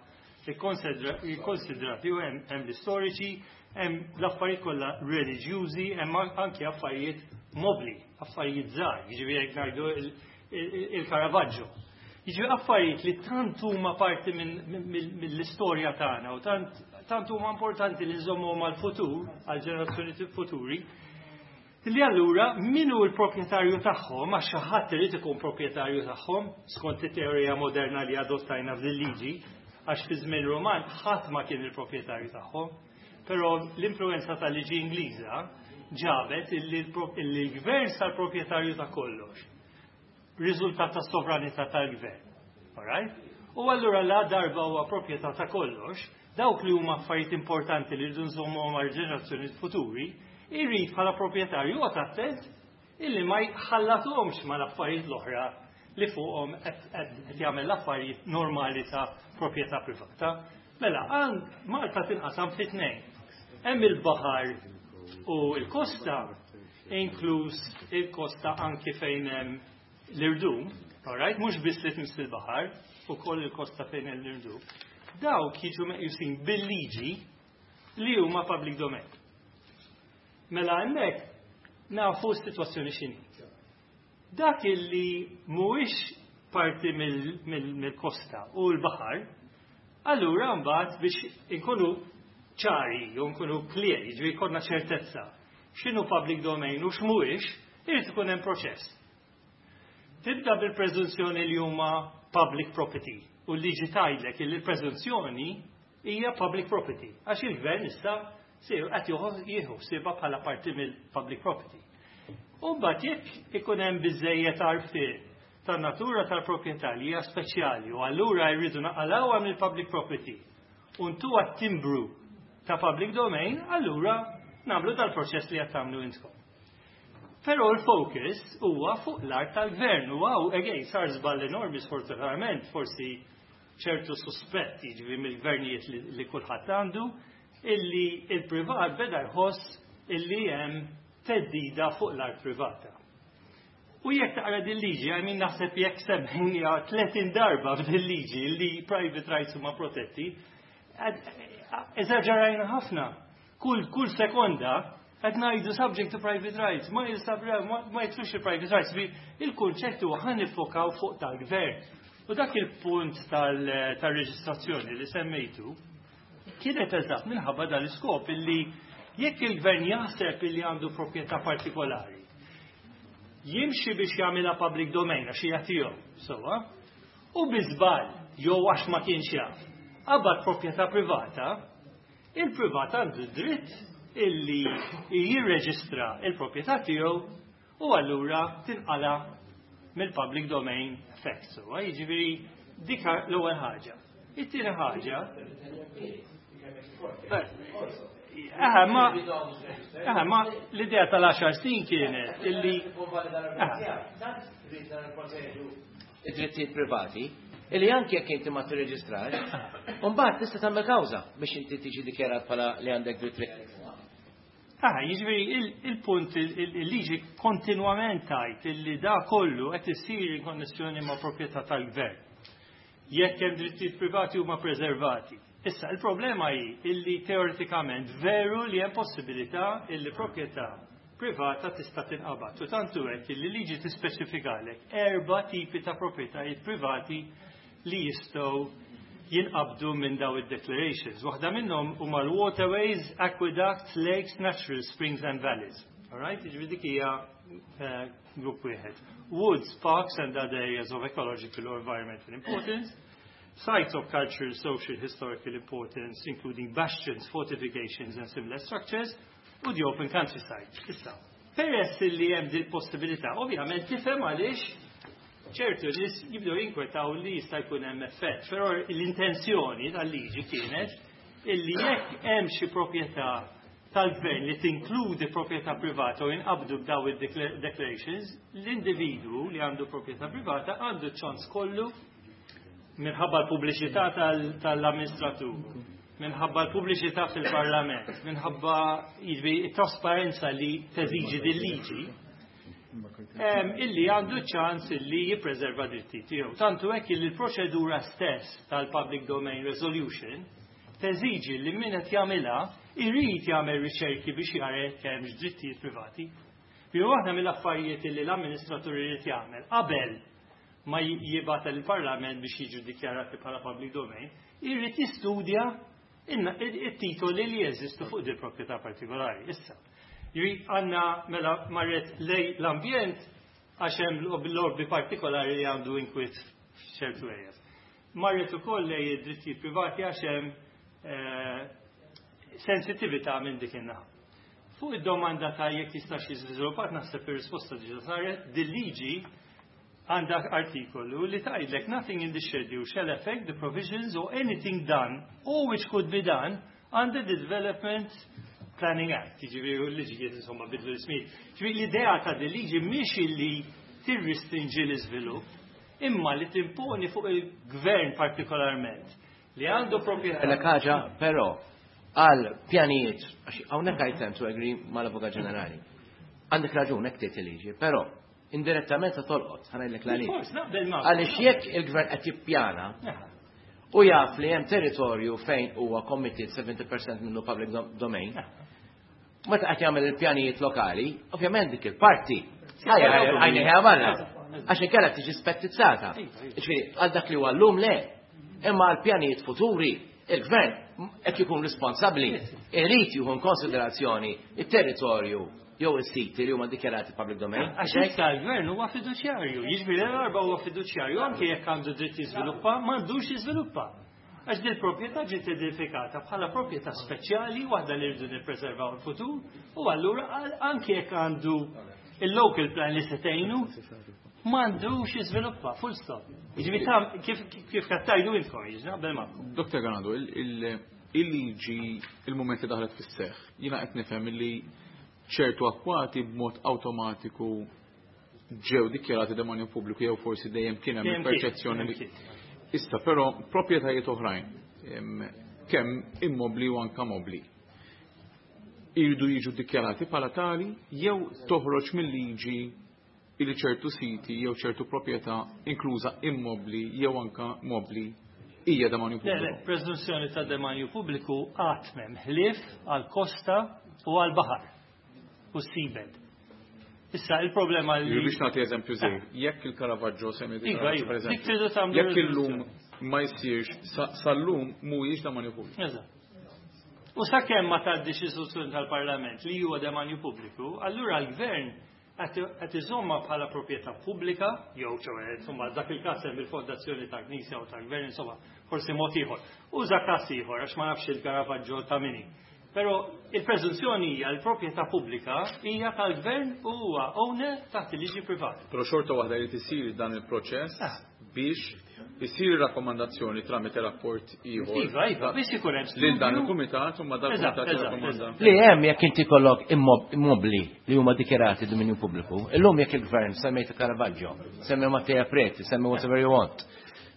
K: ikkonsidrati, u hemm l-istoriċi, hemm l-affarijiet kollha reliġjużi, hemm anke affarijiet mobli, affarijiet żgħar, jiġifieri jekk ngħidu il-Caravaggio. Jiġifieri affarijiet li tant huma parti mill-istorja tagħna u tant huma importanti li nżommuhom għall-futur, għall-ġenerazzjoni futuri, li allura min hu l-proprjetarju tagħhom, għax xi ħadd irid ikun proprjetarju tagħhom skont it-teorija moderna li adottajna fil-liġi, għax fi żmien Roman ħadd ma kien il-proprjetarju tagħhom, però l-influenza tal-liġi Ingliża ġabet illi l-gvern sar proprjetarju ta' kollox. Riżultat ta' sovranità tal-gvern. Alright? U allura la darba huwa proprjetà ta' kollox, dawk li huma affarijiet importanti li rridu nżommuhom għal ġenerazzjoni futuri, irrid bħala proprjetarju joqgħod attent illi ma jħallathomx mal-affarijiet l-oħra li fuqhom qed jagħmel l-affarijiet normali ta' proprjetà privata. Mela, għand Malta tinqasam fi tnejn. Hemm il-baħar u l-kosta, inkluż il-kosta anki fejn hemm l-irdum, alright, mhux biss li tmiss il-baħar, ukoll il-kosta fejn hemm l-irdum. Dawk jiġu meqjusin bil-liġi li huma public domain. Mela hemmhekk nafu s-sitwazzjoni x'inhi. Dak illi mhuwiex parti mill-kosta u l-baħar, allura mbagħad biex inkunu ċari u nkunu clear, jiġifieri jkollna ċertezza x'inhu public domain u x'mhuwiex, irid ikun hemm proċess. Tibda bil-preżunzjoni li huma public property u l-liġi tgħidlek li l-preżunzjoni hija public property għax il-gvern issa qed jieħu ħsiebha bħala parti mill-public property. U mbagħad jekk ikun hemm biżejjed għarfien Tan-natura tal-proprjetà li hija speċjali u allura jridu naqalgħuha mill-public property u ntuha t-timbru ta' public domain, allura nagħmlu dal-proċess li qed tagħmlu intkom. Però l-focus huwa fuq l-art tal-gvern u hawn again sar żball enormi, sfortunatament, forsi ċertu suspett, jiġifieri mill-gvernijiet li kulħadd għandu, illi il-privat beda jħoss illi hemm theddida fuq l-art privata. U jekk taqra din liġi, I mean, naħseb jekk semmejniha 30 darba f'din liġi li private rights huma protetti, eżaġerajna ħafna. Kull sekonda qed ngħidu subject to private rights, ma ma jidħlux il-private rights, il-kunċett huwa ħa niffokaw fuq tal-gvern. U dak il-punt tal-reġistrazzjoni li semmejtu kienet eżatt minħabba dal-iskop illi jekk il-gvern jaħseb illi għandu proprjetà partikolari, jimxi biex jagħmilha public domain għax hija tiegħu, sewwa, u bi żball jew għax ma kienx jaf, qabad proprjetà privata, il-privat għandu dritt illi jirreġistra il-proprjetà tiegħu u allura tinqala mill-public domain effect. So, jiġifieri dik l-ewwel ħaġa. It-tieni ħaġa. Aha, ma l-idea tal-10 snin kienet illi
E: id-drittijiet privati, illi anke jekk inti ma tirreġistrax, mbagħad tista' tagħmel kawża biex inti tiġi dikjarat bħala li għandek dritt.
K: Ah, jiġifieri il-punt, il-liġi kontinwament tgħid illi da kollu qed isir in konnessjoni ma' proprjetà tal-gvern. Jekk hemm drittijiet privati, huma preservati. Issa, il-problema hi illi teoretikament veru li hemm possibilità illi proprjetà privata tista' tinqabad. U tantu hekk illi liġi tispeċifikalek erba' tipi ta' proprjetajiet privati li jistgħu jinqabdu minn daw id-declarations. Waħda minnhom huma l-waterways, aqueducts, lakes, natural springs and valleys. Alright, jiġifieri dik hija grupp wieħed. Woods, parks and other areas of ecological or environmental importance. Sites of cultural, social, historical importance, including bastions, fortifications and similar structures, u the open countryside. Issa, peress li hemm din possibilità, ovvjament tifhem għaliex ċertu nies jibdew jinkwetaw li jista' jkun hemm effett, però l-intenzjoni tal-liġi kienet illi jekk hemm xi proprjetà tal-gvern li tinkludi proprjetà privata u jinqabdu b'daw id-declarations, l-individwu li għandu proprjetà privata għandu ċans kollu, minħabba l-pubbliċità tal-amministratur, minħabba l-pubbliċità fil-parlament, minħabba, jiġifieri, it-trasparenza li teżiġi din liġi, illi għandu ċans illi jippreserva dritti tiegħu. Tantu hekk illi l-proċedura stess tal-Public Domain Resolution teżiġi li min qed jagħmilha irid jagħmel riċerki biex jara jekk hemmx drittijiet privati. Bi waħda mill-affarijiet illi l-amministratur irid jagħmel qabel ma jibgħat il-Parlament biex jiġu dikjarati bħala public domain, irid jistudja it-titoli li jeżistu fuq di proprjetà partikolari. Issa, jri għanna mela marret lej l-ambjent għax hemm lobby partikolari li għandu inkwiet f'ċertu areas. Marret ukoll lej id-drittijiet privati għax hemm sensitività minn dik in-naħa. Fuq id-domanda ta' jekk jistax jiżviluppat, naħseb ir-risposta diġà saret. Dil-liġi għandha artikolu li tgħidlek: "Nothing in the schedule shall affect the provisions or anything done or which could be done under the Development Planning Act." Jiġifieri l-liġijiet insomma bidlu l-ismijiet. Jiġifieri l-idea ta' din liġi mhix illi tirrestrinġi l-iżvilupp, imma li timponi fuq il-gvern partikolarment li għandu proprjetà.
E: L ħaġa però għal pjanijiet, għax hawnhekk I tend to agree mal-Avukat Ġenerali. Għandek raġun, hekk tgħid il-liġi, però indirettament se tolqot, ħa ngħidlek l
K: Of course, naqbel ma'
E: Għaliex jekk il-gvern qed jippjana u jaf li hemm territorju fejn huwa committed 70% minnu public domain, meta qed jagħmel il-pjanijiet lokali, ovvjament dik il-parti għajni barra. Għax inkella tiġi spettizzata. Ġifieri, għal dak li huwa llum le. Imma għal pjanijiet futuri, il-gvern qed jkun responsabbli, irid jieħu konsiderazzjoni it-territorju jew is-siti li huma dikjarati public domain.
K: Għax issa l-gvern huwa fiduċjarju, jiġifieri l-arba huwa fiduċjarju, anke jekk għandu dritt jiżviluppa, m'għandux jiżviluppa. Għax dil proprjetà ġiet identifikata bħala proprjetà speċjali, waħda li rridu nippreservaw il-futur, u allura anke jekk għandu il-local plan li se tgħinu, M'għandux jiżviluppa, full stop. Jiġifieri ta' kif qed tgħidu intkom, jiġi naqbel magħkom.
B: Dr. Ganado, il-liġi il-mument li daħlet fis-seħħ, jiena qed nifhem li ċertu akkwati b'mod awtomatiku ġew dikjarati demanju pubbliku jew forsi dejjem kien hemm il-perċezzjoni li Issa però proprjetajiet oħrajn kemm immobli u anka mobli iridu jiġu dikjarati bħala tali jew toħroġ mill-liġi illi ċertu siti jew ċertu proprjetà inkluża immobli jew anka mobli hija demanju pubbliku.
K: Le, preżunzjoni ta' demanju pubbliku qatt m'hemm ħlief għal kosta u għal baħar u seabed. Issa il-problema li.
B: Biex nagħti eżempju żejr, jekk il-Caravaggio semmi
K: Iva, iva, dik tridu tagħmlu.
B: Jekk illum ma jsirx sal-lum mhuwiex demanju pubbliku.
K: Eżatt. U sakemm ma tgħaddix istituzzjoni tal-Parlament li huwa demanju pubbliku, allura l-gvern qed iżomma bħala proprjetà pubblika, jew ċoe, insomma, dak il-każ hemm il-fondazzjoni ta' Knisja u ta' Gvern, insomma, forsi mod ieħor. Uża każ ieħor għax ma nafx il-Caravaggio ta' min hi. Però il-preżunzjoni hija l-proprjetà pubblika hija tal-gvern u huwa owner taħt il-liġi privata.
B: Però xorta waħda jrid isir dan il-proċess biex isir rakkomandazzjoni tramite rapport ieħor.
K: Iva, iva, biex ikun hemm
B: Lil dan il-kumitat u ma dan il-kumitat jirrakkomanda.
E: Li hemm jekk inti kollok immobli li huma dikjarati dominju pubbliku, illum jekk il-gvern semmejt Caravaggio, semmi Mattea Preti, semmi whatever you want,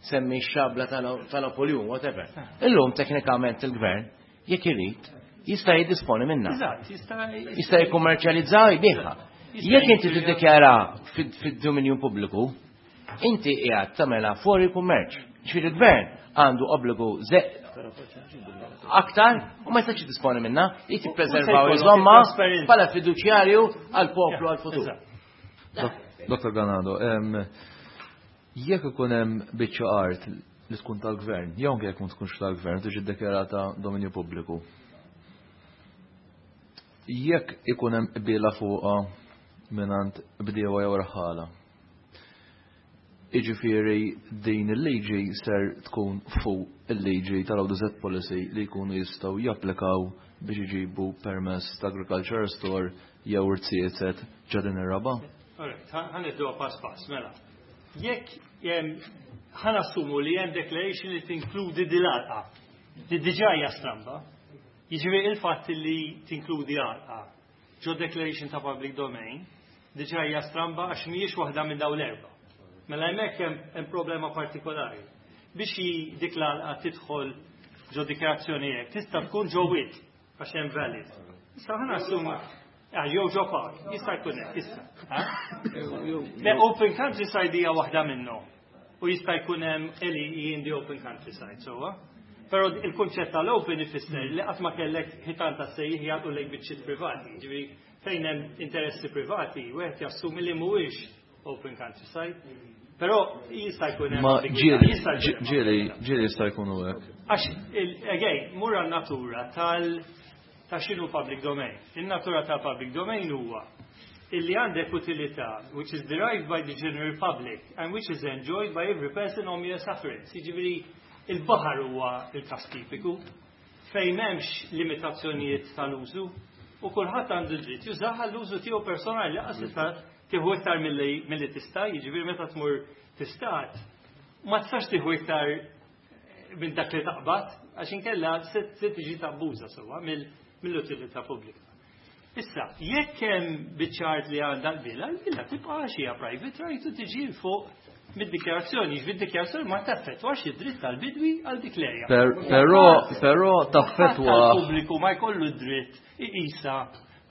E: semmi x-xabla tal-Napoleon, whatever. Illum teknikament il-gvern jekk irid jista' jiddisponi minnha.
K: Eżatt, jista'
E: Jista' jikkummerċjalizza u jbigħha. Jekk inti tiddikjara fid-dominju pubbliku, inti qiegħed tagħmilha fuori kummerċ. Ġifieri il-gvern għandu obbligu aktar u ma jistax jiddisponi minnha li tippreservaw iżomma bħala fiduċjarju għall-poplu għall-futur.
D: Dr. Ganado, jekk ikun hemm biċċa art li tkun tal-gvern, jew anke jekk ma tkunx tal-gvern, tiġi ddikjarata dominju pubbliku. Jekk ikun hemm qbiela fuqha mingħand bdiewa jew raħħala. Jiġifieri din il-liġi ser tkun fuq il-liġi tal-ODZ policy li jkunu jistgħu japplikaw biex iġibu permess ta' agriculture store jew irziezet ġo din ir-raba'?
K: Alright, ħa nieħduha pass pass, mela. Jekk ħa nassumu li hemm declaration li tinkludi din l-għalqa, li diġà hija stramba, jiġifieri il-fatt li tinkludi għalqa ġo declaration ta' public domain, diġà hija stramba għax mhijiex waħda minn dawn l-erba'. Mela hemmhekk hemm problema partikolari. Biex dik l-għalqa tidħol ġo dikjarazzjoni hekk, tista' tkun ġo wied għax hemm valid. Issa ħa nassumu jew ġo park, jista' jkun hekk issa. Le open countryside hija waħda minnhom. U jista' jkun hemm LEE in the open countryside, sewwa. Però il-kunċett tal-open ifisser li qatt ma kellek ħitan ta' sejjieħ jagħtu lejk biċċiet privati. Ġifieri fejn hemm interessi privati, wieħed jassumi li mhuwiex open countryside. Però jista' jkun hemm
D: Ma ġieli ġieli ġieli jista' jkunu hekk.
K: Għax again, mur natura tal ta' x'inhu public domain. In-natura ta' public domain huwa illi għandek utilità which is derived by the general public and which is enjoyed by every person on mere sufferance. Jiġifieri il-baħar huwa il-każ tipiku fejn m'hemmx limitazzjonijiet tal-użu u kulħadd għandu dritt jużah għall-użu tiegħu personali lanqas tista' tieħu iktar milli tista', jiġifieri meta tmur tistad ma tistax tieħu iktar minn dak li taqbad għax inkella se tiġi tabbuża sewwa mill-utilità pubblika. Issa, jekk hemm biċċa art li għandha l-bila, l-bila tibqa' għax hija private right u tiġi fuq mid-dikjarazzjoni, jiġifieri d-dikjarazzjoni ma taffettwax id-dritt tal-bidwi għal dik l-erja.
D: Però però taffettwa.
K: Pubbliku ma jkollu d-dritt iqisha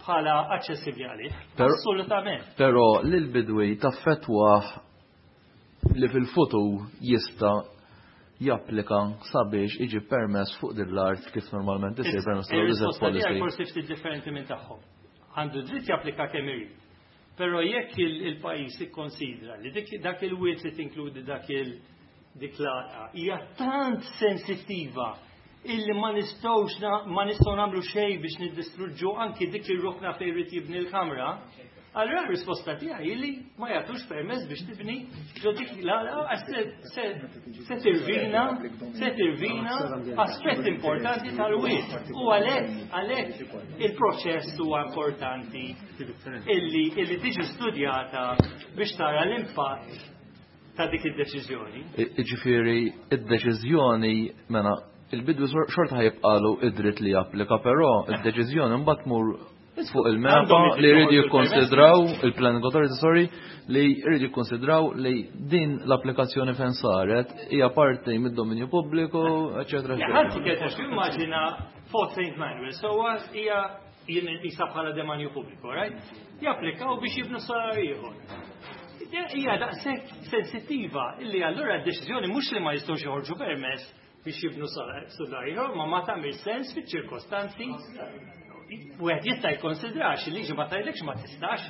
K: bħala aċċessibbli għalih. Assolutament.
D: Però lill-bidwi taffettwah li fil-futur jista' japplika sabiex iġib permess fuq din l-art kif normalment isir permess tal-ODZ policy.
K: Forsi ftit differenti minn tagħhom. Għandu dritt japplika kemm irid. Però jekk il-pajjiż ikkonsidra li dak il-wied li tinkludi dak il dik l-għalqa hija tant sensittiva illi ma nistgħux ma nistgħu nagħmlu xejn biex niddistruġġu anki dik ir-rokna fejn irid jibni l-kamra, Allura r-risposta tiegħi li ma jagħtux permess biex tibni ġo dik l-għalqa se tirvina se tirvina aspett importanti tal-wied. U għalhekk għalhekk il-proċess huwa importanti illi illi tiġi studjata biex tara l-impatt ta' dik id-deċiżjoni.
D: Ġifieri id-deċiżjoni mela il-bidwi xorta ħa jibqagħlu id-dritt li japplika, però id-deċiżjoni mbagħad tmur fuq il-MEPA li jridu jikkonsidraw il-Planning Authority, sorry, li jridu jikkonsidraw li din l-applikazzjoni fejn saret hija parti mid-dominju pubbliku, eċetera.
K: Ħanti kienet immaġina Fort St. Manuel, so hija jien isa bħala demanju pubbliku, right? Japplikaw biex jibnu solar ieħor. Hija daqshekk sensittiva illi allura d-deċiżjoni mhux li ma jistgħux joħorġu permess biex jibnu solar ieħor, ma ma tagħmel sens fiċ-ċirkostanzi. Wieħed jista' jikkonsidrax il-liġi ma tgħidlekx ma tistax.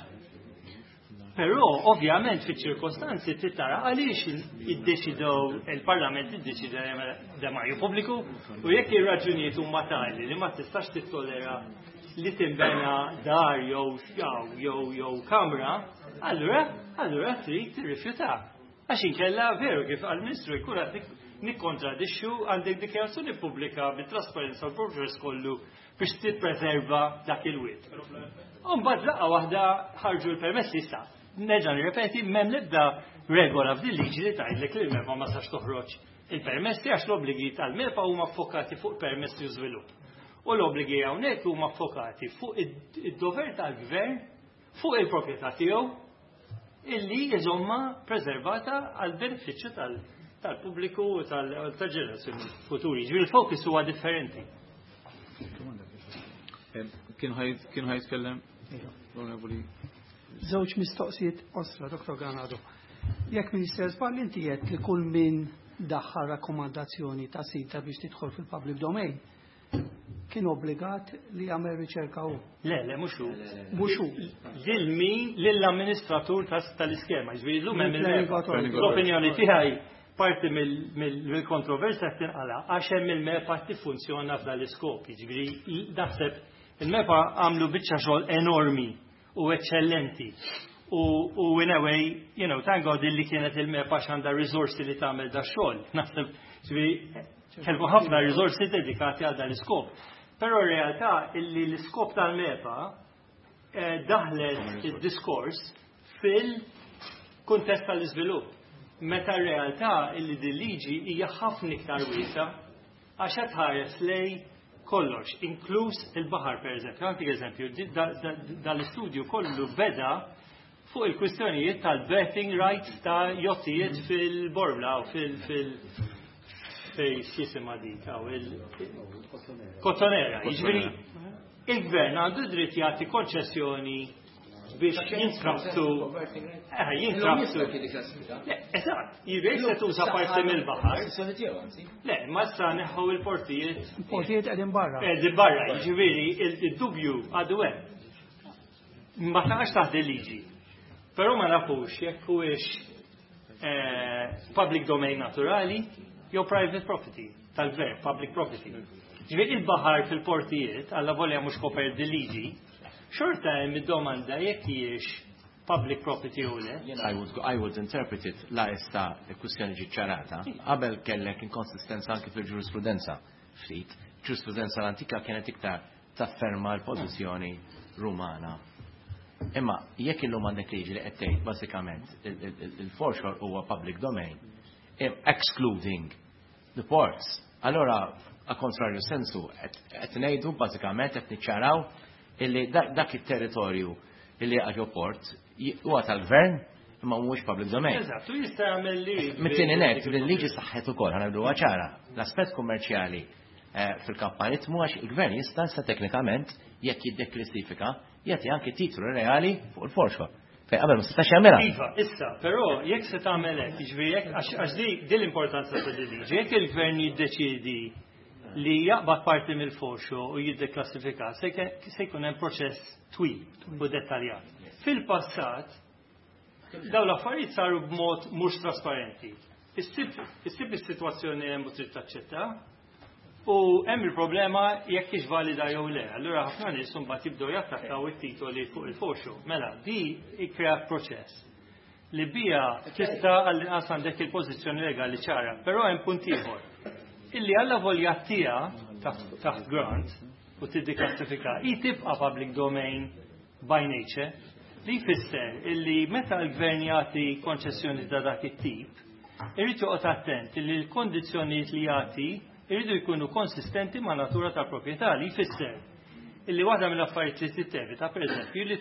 K: Però ovvjament fiċ-ċirkostanzi trid tara għaliex iddeċidew il-Parlament iddeċida demanju pubbliku u jekk ir-raġunijiet huma tali li ma tistax tittollera li tinbena dar jew jew jew kamra, allura allura trid tirrifjuta. Għax inkella veru kif għal-Ministru jkun qed nikkontradixxu għandek dikjarazzjoni pubblika bit-trasparenza u l-progress kollu biex tippreserva dak il-wied. Mbagħad laqgħa waħda ħarġu l-permessi issa. Nerġa' nirrepeti m'hemm l-ebda regola f'din liġi li tgħidlek li l-MEPA ma sax toħroġ il-permessi għax l-obbligi tal-MEPA huma ffokati fuq permessi u żvilupp. U l-obbligi hawnhekk huma ffokati fuq id-dover tal-gvern fuq il-proprjetà tiegħu illi jżomma preservata għal benefiċċju tal-pubbliku u tal-ġenerazzjoni futuri. Ġifieri il-fokus huwa differenti.
B: Kien ħa jitkellem? Onorevoli.
L: Żewġ mistoqsijiet qosra, Dr. Ganado. Jekk Minister żball inti qed li kull min daħħal rakkomandazzjoni ta' sita biex tidħol fil-public domain kien obbligat li jagħmel riċerka hu.
K: Le, le, mhux hu.
L: Mhux hu.
K: Lil min, lill-amministratur tal-iskema, ġifieri llum hemm l-opinjoni tiegħi parti mill-kontroversja qed tinqala għax hemm il-MEPA tiffunzjona f'dan l-iskop. Jiġifieri naħseb il-MEPA għamlu biċċa xogħol enormi u eċċellenti. U in a way, thank God illi kienet il-MEPA għandha risorsi li tagħmel da xogħol. Naħseb, ġifieri kellu ħafna risorsi dedikati għal dan l-iskop. Però r-realtà illi l-iskop tal-MEPA daħlet id-diskors fil-kuntest tal-iżvilupp. Meta r-realtà illi din liġi hija ħafna iktar wiesa għax qed tħares lej kollox, inkluż il-baħar per eżempju. Għantik eżempju, dal-istudju kollu beda fuq il-kwistjonijiet tal-berthing rights ta' jottijiet fil-Bormla u fil- fej x'jisimha dik hawn il-Kottonera. Jiġifieri il-gvern għandu dritt jagħti konċessjoni biex jintrabtu. Jintrabtu. Eżatt, jiġifieri se tuża parti mill-baħar. Le, ma issa neħħu il-portijiet.
L: Il-portijiet qegħdin barra.
K: Qegħdin barra, jiġifieri il-dubju għadu hemm. Ma taqax taħt il-liġi. Però ma nafux jekk huwiex public domain naturali jew private property tal-gvern, public property. Ġifieri il-baħar fil-portijiet, alla volja mhux kopert dil-liġi, xorta hemm id-domanda jekk hijiex public property u le.
E: I would interpret it la issa il-kwistjoni ġiet ċarata, qabel kellek inkonsistenza anki fil-ġurisprudenza ftit. Ġurisprudenza l-antika kienet iktar tafferma l-pożizzjoni Rumana. Imma jekk illum għandek liġi li qed tgħid bażikament il-foreshore huwa public domain, excluding the ports, allora a contrario sensu qed ngħidu bażikament qed niċċaraw illi dak it-territorju illi għaġo port huwa tal-gvern imma mhuwiex public domain.
K: Eżatt, u jista' jagħmel li.
E: Mit-tieni net, il-liġi saħħet ukoll, ħa ngħidu ċara, l-aspett kummerċjali fil-kamp marittimu għax il-gvern jista' sa teknikament jekk jiddeklassifika jagħti anke titlu reali fuq il-foreshore. Fejn qabel ma setax jagħmilha.
K: Iva, issa, però jekk se tagħmel hekk, jiġifieri jekk għax di l-importanza ta' din liġi, jekk il-gvern jiddeċiedi li jaqbad parti mill-foreshore u jiddeklassifika, se jkun hemm proċess twil u dettaljat. Fil-passat, dawn l-affarijiet saru b'mod mhux trasparenti. Issib is-sitwazzjoni hemm u trid taċċetta. U hemm il-problema jekk hix valida jew le. Allura ħafna nies imbagħad jibdew jattakkaw it-titoli fuq il-foreshore. Mela, di ikkreat proċess li bija tista' għall-inqas għandek il-pożizzjoni legali ċara, però hemm punt ieħor. Illi alla volja tija taħt grant u tiddiklassifika, hi tibqa' public domain by nature, li jfisser illi meta l-gvern jagħti konċessjoni ta' dak it-tip, irid joqgħod attent illi l-kondizzjonijiet li jagħti jridu jkunu konsistenti ma' natura tal-proprjetà, li jfisser illi waħda mill-affarijiet li tittevita pereżempju li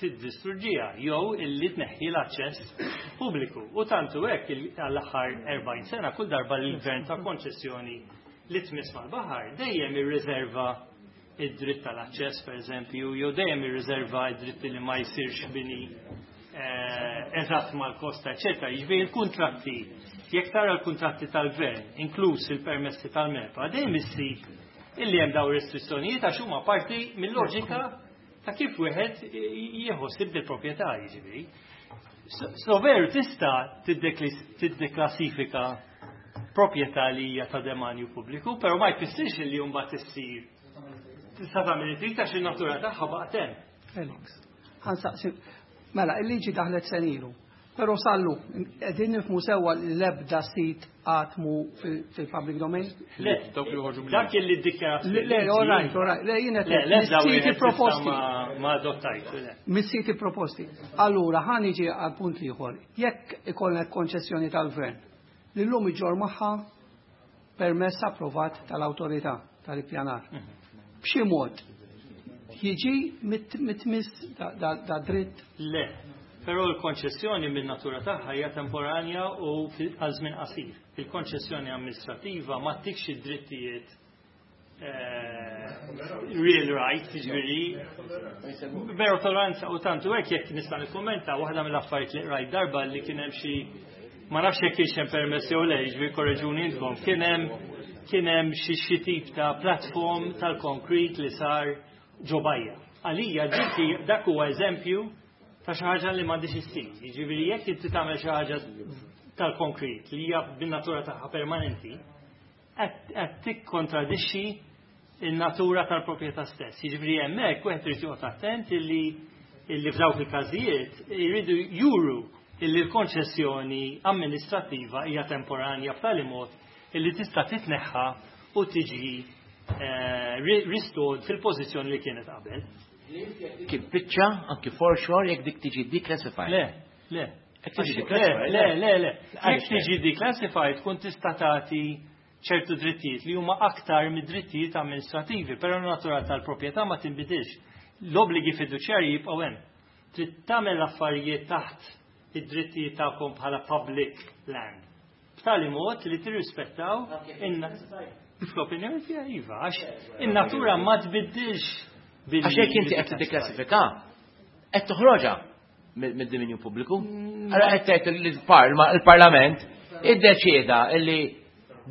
K: tiddistruġġiha jew illi tneħħi l-aċċess pubbliku. U tantu hekk għall-aħħar 40 sena kull darba li l-gvern ta' konċessjoni li tmiss mal-baħar dejjem irriserva id-dritt tal-aċċess pereżempju, jew dejjem irriserva id-dritt li ma jsirx bini eżatt mal-kosta, eċetera. Jiġifieri l-kuntratti, jekk tara l-kuntratti tal-gvern, inkluż il-permessi tal-MEPA, dejjem issib illi hemm dawn restrizzjonijiet għax huma parti mill-loġika ta' kif wieħed jieħu bil-proprjetà, jiġifieri. So veru tista' tiddeklassifika proprjetà li hija ta' demanju pubbliku, però ma jfissirx li mbagħad issir tista' tagħmel trid għax in-natura tagħha baqgħet hemm.
L: Felix, ħansaqsi, mela, il-liġi daħlet senilu, però sallu, qegħdin nifhmu sewwa li l-ebda sit għatmu fil-public domain?
K: Le, dak li ddikjarat.
L: Le, all right, all right. Le, jien qed
K: Le, l-ebda
L: mis-siti
K: wieħed
L: proposti.
K: ma adottajt, le.
L: Mis-siti proposti. Allura, ħa niġi għal punt ieħor. Jekk ikollna konċessjoni tal-gvern, li llum iġorr magħha permess approvat tal-awtorità tal-ippjanar. B'xi mod jiġi mitmiss da dritt?
K: Le, però l-konċessjoni minn natura tagħha hija temporanja u għal żmien qasir. Il-konċessjoni amministrativa ma ttikx id-drittijiet real rights, jiġifieri, veru toleranza u tantu hekk jekk nista' nikkummenta waħda mill-affarijiet li rajt darba li kien hemm xi, ma nafx jekk kienx hemm permess jew le, jiġifieri korreġuni intkom, kien hemm xi tip ta' platform tal-konkrit li sar ġo bajja. Għalija dik dak huwa eżempju ta' xi ħaġa li m'għandix issir. Jiġifieri jekk inti tagħmel xi ħaġa tal-konkrit li hija bin-natura tagħha permanenti, qed tikkontradixxi in-natura tal-proprjetà stess. Jiġifieri hemmhekk wieħed irid joqgħod attent illi f'dawk il-każijiet jridu juru illi l-konċessjoni amministrattiva hija temporanja b'tali mod illi tista' titneħħa u tiġi restored fil-pożizzjoni li kienet qabel.
E: Kif biċċa anki foreshore jekk dik tiġi declassified?
K: Le, le.
E: Jekk tiġi
K: Le,
E: declassified?
K: le, le, le.
E: Għaliex
K: Jekk tiġi declassified tkun tista' tagħti ċertu drittijiet li huma aktar mid-drittijiet amministrativi, però n-natura tal-proprjetà ma tinbidilx. L-obbligi fiduċjarji jibqgħu hemm. Trid tagħmel affarijiet taħt id-drittijiet tagħkom bħala public land. B'tali mod li tirrispettaw fl-opinjoni tiegħi iva, għax in-natura ma tbiddilx billi
E: Għax jekk inti qed tiddeklassifika, qed toħroġha mid-dominju pubbliku. Allora qed tgħid li l-Parlament iddeċieda illi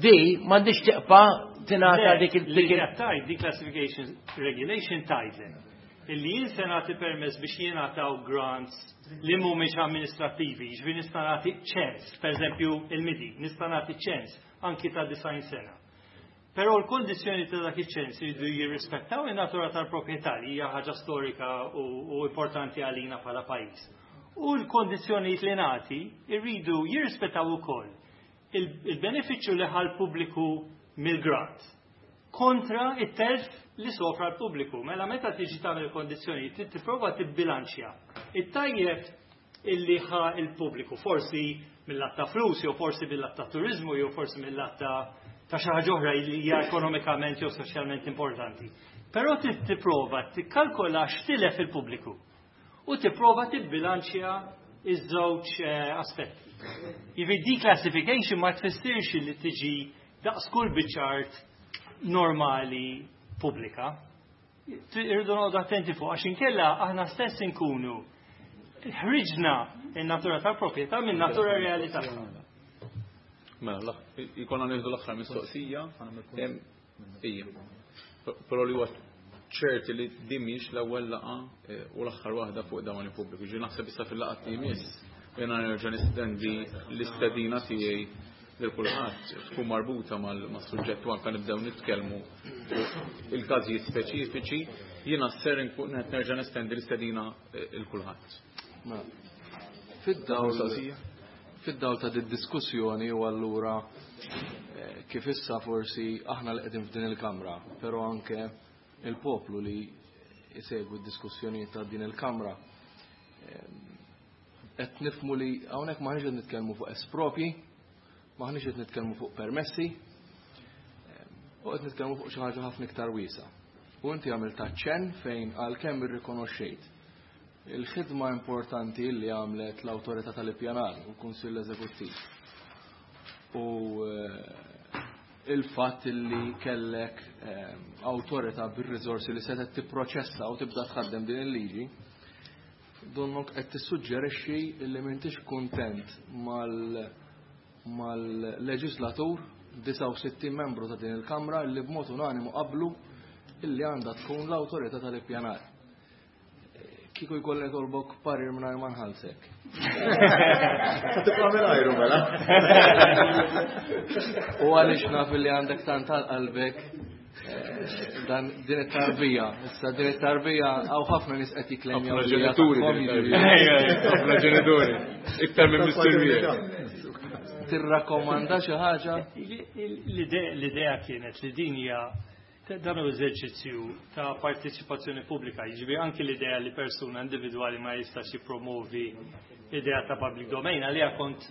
E: di m'għandix tibqa' tingħata dik il-
K: Li
E: dik il-
K: qed tgħid declassification regulation tgħidlek illi jien se nagħti permess biex jingħataw grants li mhumiex amministrattivi, jiġifieri nista' nagħti ċens, pereżempju il-MIDI, nista' nagħti ċens anki ta' 90 sena. Però l-kondizzjoni ta' dak iċ-ċens jridu jirrispettaw in-natura tal-proprjetà li hija ħaġa storika u importanti għalina bħala pajjiż. U l-kondizzjonijiet li nagħti jridu jirrispettaw ukoll il-benefiċċju li ħa l-pubbliku mill-grant kontra it-telf li sofra l-pubbliku. Mela meta tiġi tagħmel kondizzjonijiet trid tipprova tibbilanċja it-tajjeb illi ħa il-pubbliku, forsi mill-lat ta' flus, jew forsi mill-lat ta' turizmu, jew forsi mill-lat ta' xi ħaġa oħra li hija ekonomikament jew soċjalment importanti. Però trid tipprova tikkalkola x'tilef il-pubbliku u tipprova tibbilanċja iż-żewġ aspetti. Jiġifieri declassification ma tfissirx li tiġi daqs kull biċċa art normali pubblika. Irridu noqogħdu attenti fuq għax inkella aħna stess inkunu ħriġna in-natura tal-proprjetà minn natura reali tagħha.
B: Mela, jkollna nieħdu l-aħħar mistoqsija. Ija. Però li huwa ċerti li din mhix l-ewwel laqgħa u l-aħħar waħda fuq dawn il-pubbliku. Ġi naħseb issa fil-laqgħa li jmiss jiena nerġa' nistendi l-istedina tiegħi lil kulħadd tkun marbuta mas-suġġett u anke nibdew nitkellmu fuq il-każijiet speċifiċi, jiena ser inkun qed nerġa' nestendi l-istedina lil kulħadd.
D: Mela, fid-dawl ta' diskussjoni u allura kif issa forsi aħna li qegħdin f'din il-kamra, però anke il-poplu li jsegwi d-diskussjonijiet ta' din il-kamra, qed nifhmu li hawnhekk m'aħniex qed nitkellmu fuq espropji, m'aħniex qed nitkellmu fuq permessi, u qed nitkellmu fuq xi ħaġa ħafna iktar wiesa. U inti għamilt aċċenn fejn għalkemm irrikonoxxejt il-ħidma importanti li għamlet l-Awtorità tal-Ippjanar u l-Kunsill Eżekuttiv u il-fatt li kellek awtorità bir-riżorsi li setgħet tipproċessa u tibda tħaddem din il-liġi, donnok qed tissuġġerixxi li m'intix kuntent mal-leġislatur 69 membru ta' din il-Kamra li b'mod unanimu qablu illi għandha tkun l-awtorità tal-ippjanar. Kieku jkolli nitolbok parir mingħajr ma nħallsek.
J: Tibqa' mingħajru mela.
D: U għaliex naf li għandek tant għal qalbek dan din it-tarbija. Issa din it-tarbija hawn ħafna nies qed jiklemjaw.
B: Ħafna ġenituri. Ħafna ġenituri. Iktar minn missirijiet.
D: Tirrakkomanda xi ħaġa?
K: L-idea kienet li din hija dan hu eżerċizzju ta' partiċipazzjoni pubblika, jiġifieri anki l-idea li persuna individwali ma jistax jippromovi l-idea ta' public domain għalija kont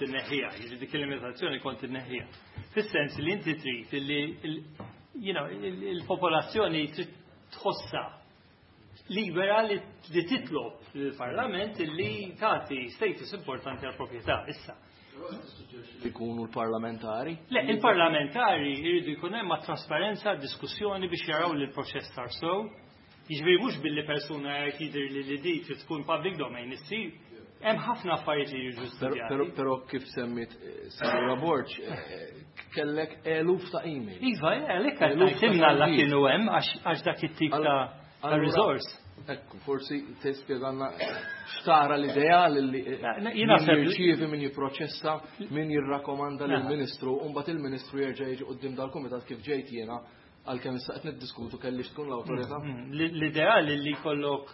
K: inneħħiha, jiġifieri dik il-limitazzjoni kont inneħħiha. Fis-sens li inti trid li il-popolazzjoni trid tħossha libera li titlob lill-Parlament li tagħti status importanti għall proprjetà issa.
D: Ikunu l-parlamentari?
K: Le, il-parlamentari jridu jkun hemm trasparenza, diskussjoni biex jaraw li l-proċess sar sew. Jiġifieri mhux billi persuna jgħid jidher li li di trid tkun public domain issir. Hemm ħafna affarijiet li jiġu studjati.
D: Però kif semmit Sinjura Borg, kellek eluf ta' email.
K: Iva, għalhekk qed ngħid la kienu hemm għax dak it-tip ta' resource.
D: Ekku, forsi tispjegalna x'tara l-idea li min jirċievi, min jipproċessa, min jirrakkomanda lill-Ministru, u mbagħad il-Ministru jerġa' jiġi quddiem dal-kumitat kif ġejt jiena għalkemm issa qed niddiskutu kellix tkun l-awtorità.
K: L-ideal li jkollok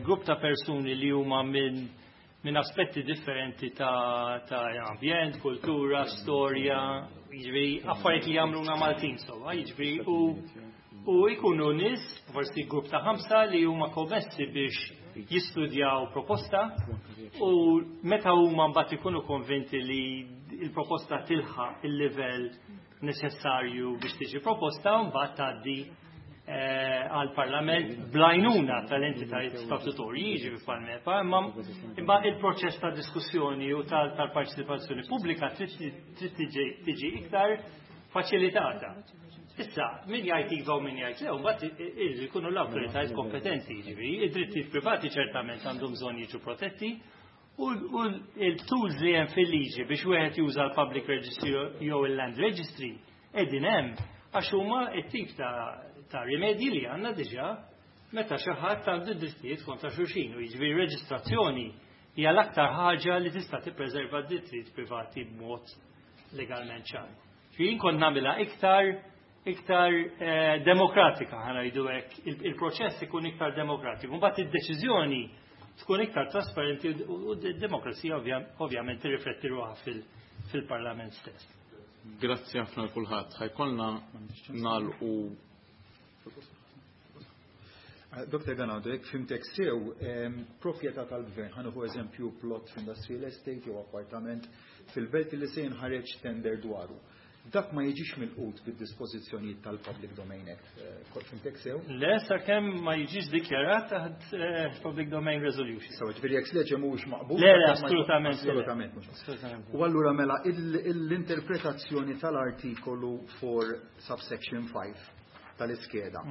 K: grupp ta' persuni li huma minn aspetti differenti ta' ambjent, kultura, storja, jiġifieri affarijiet li jagħmluna Maltin sewwa, jiġifieri u jkunu nies, forsi grupp ta' 5 li huma kommessi biex jistudjaw proposta u meta huma mbagħad ikunu konvinti li l-proposta tilħaq il-livell neċessarju biex tiġi proposta, mbagħad tgħaddi għal-Parlament bl-għajnuna tal-entitajiet statutorji, jiġifieri bħal-MEPA, imma il-proċess ta' diskussjoni u tal-parteċipazzjoni pubblika trid tiġi iktar faċilitata. Issa, min jgħid iva u min jgħid le, mbagħad irridu jkunu l-awtoritajiet kompetenti, jiġifieri, id-drittijiet privati ċertament għandhom bżonn jiġu protetti, u l-tools li hemm fil-liġi biex wieħed juża l-public registry jew il-land registry qegħdin hemm għax huma t-tip ta' rimedji li għandna diġà meta xi ħadd għandu drittijiet kontra xulxin, u jiġifieri reġistrazzjoni hija l-aktar ħaġa li tista' tippreserva d-drittijiet privati b'mod legalment ċar. Jien kont nagħmilha iktar demokratika, ħa ngħidu hekk, il-proċess ikun iktar demokratiku, mbagħad id-deċiżjoni tkun iktar trasparenti u d-demokrazija ovvjament tirrifletti ruħha fil-Parlament stess.
B: Grazzi ħafna l kulħadd. Ħa jkollna nagħlqu.
J: Dr. Ganado, jekk fhimtek sew, proprjetà tal-gvern, ħa nieħu eżempju plot f'industrial estate jew appartament fil-belt li se jinħareġ tender dwaru. Dak ma jiġix milqut bid-dispożizzjonijiet tal-Public Domain Act. Fhimtek sew?
K: Le, sakemm ma jiġix dikjarat taħt Public Domain Resolution.
J: So, ġifieri ex lege mhuwiex maqbul.
K: Le, le, assolutament.
J: Assolutament mhux.
K: Assolutament.
J: U allura mela l-interpretazzjoni tal-artikolu 4 subsection 5 tal-iskeda.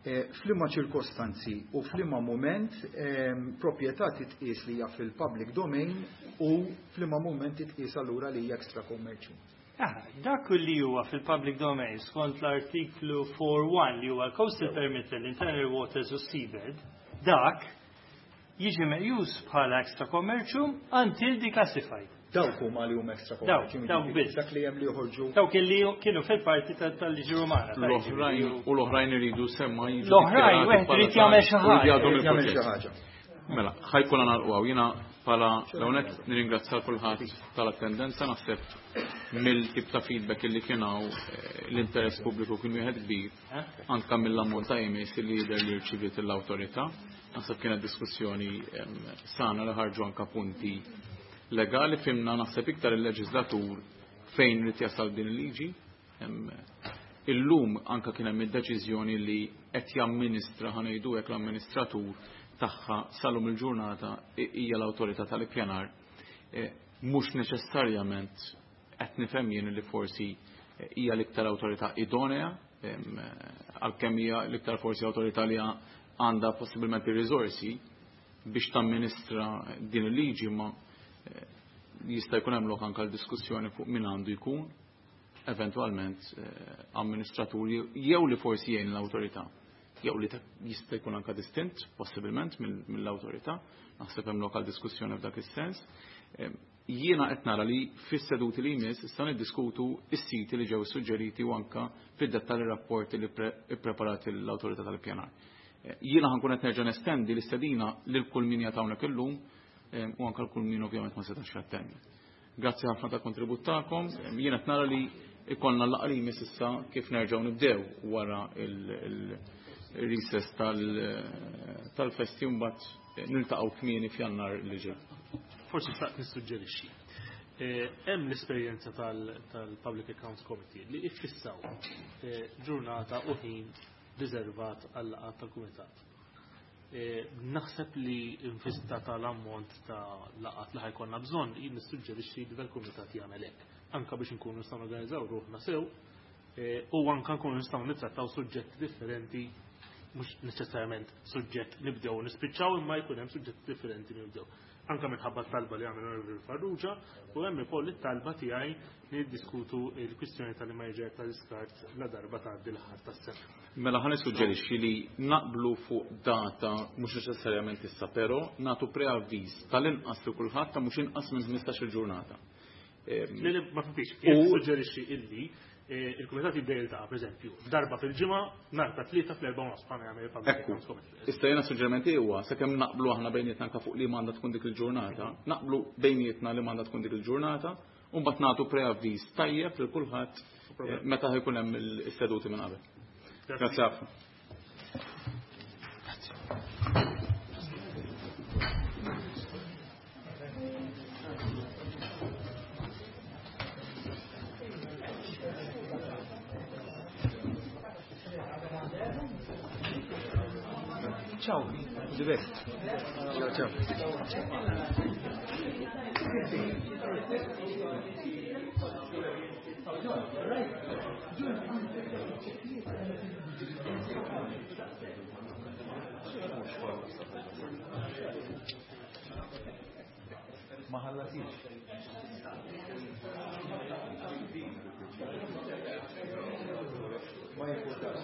J: F'liema ċirkostanzi u f'liema moment proprjetà titqies li hija fil-public domain u f'liema moment titqies allura li hija extra commercial.
K: Dak li huwa fil-public domain skont l-artiklu 4.1 li huwa l-coastal perimeter, l-internal waters u seabed, dak jiġi meqjus bħala extra commercium until declassified.
J: Dawk huma li huma extra
K: Dawk, dawk biss.
J: Dak li hemm li joħorġu.
K: Dawk li kienu fil-parti tal-liġi Rumana.
B: L-oħrajn u l-oħrajn iridu semma jiġu.
K: L-oħrajn wieħed irid jagħmel xi
B: ħaġa. Mela, ħajkollna nagħlqu hawn. Jiena bħala l-hawnhekk nirringrazzja kulħadd tal-attendenza naħseb mill-tip ta' feedback li kien hawn l-interess pubbliku kien wieħed kbir anke mill-ammont ta' emails li jidher li rċiviet l-awtorità. Naħseb kienet diskussjoni sana li ħarġu anke punti legali fimna naħseb iktar il-leġislatur fejn irid jasal din il-liġi. Illum anka kien hemm id-deċiżjoni li qed jamministra ħa ngħidu hekk l-amministratur tagħha salum il-ġurnata hija l-awtorità tal-ippjanar. Mhux neċessarjament qed nifhem jien li forsi hija l-iktar awtorità idonea, għalkemm hija l-iktar forsi awtorità li għandha possibilment ir-riżorsi biex tamministra din il-liġi, ma jista' jkun hemm lok anke l-diskussjoni fuq min għandu jkun eventwalment amministratur jew li forsi jgħin l-awtorità jew li jista' jkun anke distint possibilment mill-awtorità, naħseb hemm lokal diskussjoni f'dak is-sens. Jiena qed nara li fis-seduti li jmiss issa niddiskutu s-siti li ġew suġġeriti u anke fid-dettall ir-rapporti li ppreparat l-awtorità tal-ippjanar. Jiena ħankun qed nerġa' nestendi l-istedina lil kull min jagħtawnek hawnhekk illum u anke kull min ovvjament ma setax jattendi. Grazzi ħafna ta' kontribut tagħkom. Jiena qed nara li ikollna l-laqgħa li jmiss issa kif nerġgħu nibdew wara il-recess tal-festi u mbagħad niltaqgħu kmieni f'Jannar li ġej.
C: Forsi xtaqt nissuġġerixxi. Hemm l-esperjenza tal-Public Accounts Committee li iffissaw ġurnata u ħin riservat għal-laqgħat tal-kumitat. Naħseb li infista tal-ammont ta' laqgħat li ħajkonna bżonn, jien nissuġġerixxi li dal-kumitat jagħmel hekk, anke biex inkunu nistgħu norganizzaw ruħna sew u anke nkunu nistgħu nittrattaw suġġetti differenti, mhux neċessarjament suġġett nibdew u nispiċċaw, imma jkun hemm suġġetti differenti nibdew. Anke minħabba t-talba li għamel Onorevoli Farrugia u hemm ukoll it-talba tiegħi niddiskutu l-kwistjoni tal-immaniġer tal-iskart la darba tgħaddi l-aħħar tas-sena.
B: Mela ħa nissuġġerixxi li naqblu fuq data mhux neċessarjament issa, però nagħtu preavviż tal-inqas li kulħadd ta' mhux inqas minn 15-il ġurnata.
C: Le, le, ma fimtix. Jien nissuġġerixxi illi il-kumitat jibda jiltaqa', pereżempju, darba fil-ġimgħa, nhar ta' tlieta fl-erba' u nofs bħalma jagħmel il-Public Accounts Committee.
B: Issa jiena suġġerimenti huwa sakemm naqblu aħna bejnietna anke fuq li m'għandha tkun dik il-ġurnata, naqblu bejnietna li m'għandha tkun dik il-ġurnata, u mbagħad nagħtu preavviż tajjeb lil kulħadd meta ħajkun hemm is-seduti minn qabel. Grazzi ħafna.
J: Ciao, the best. Ciao, ciao. Ma ħallatix. Ma jimpurtax.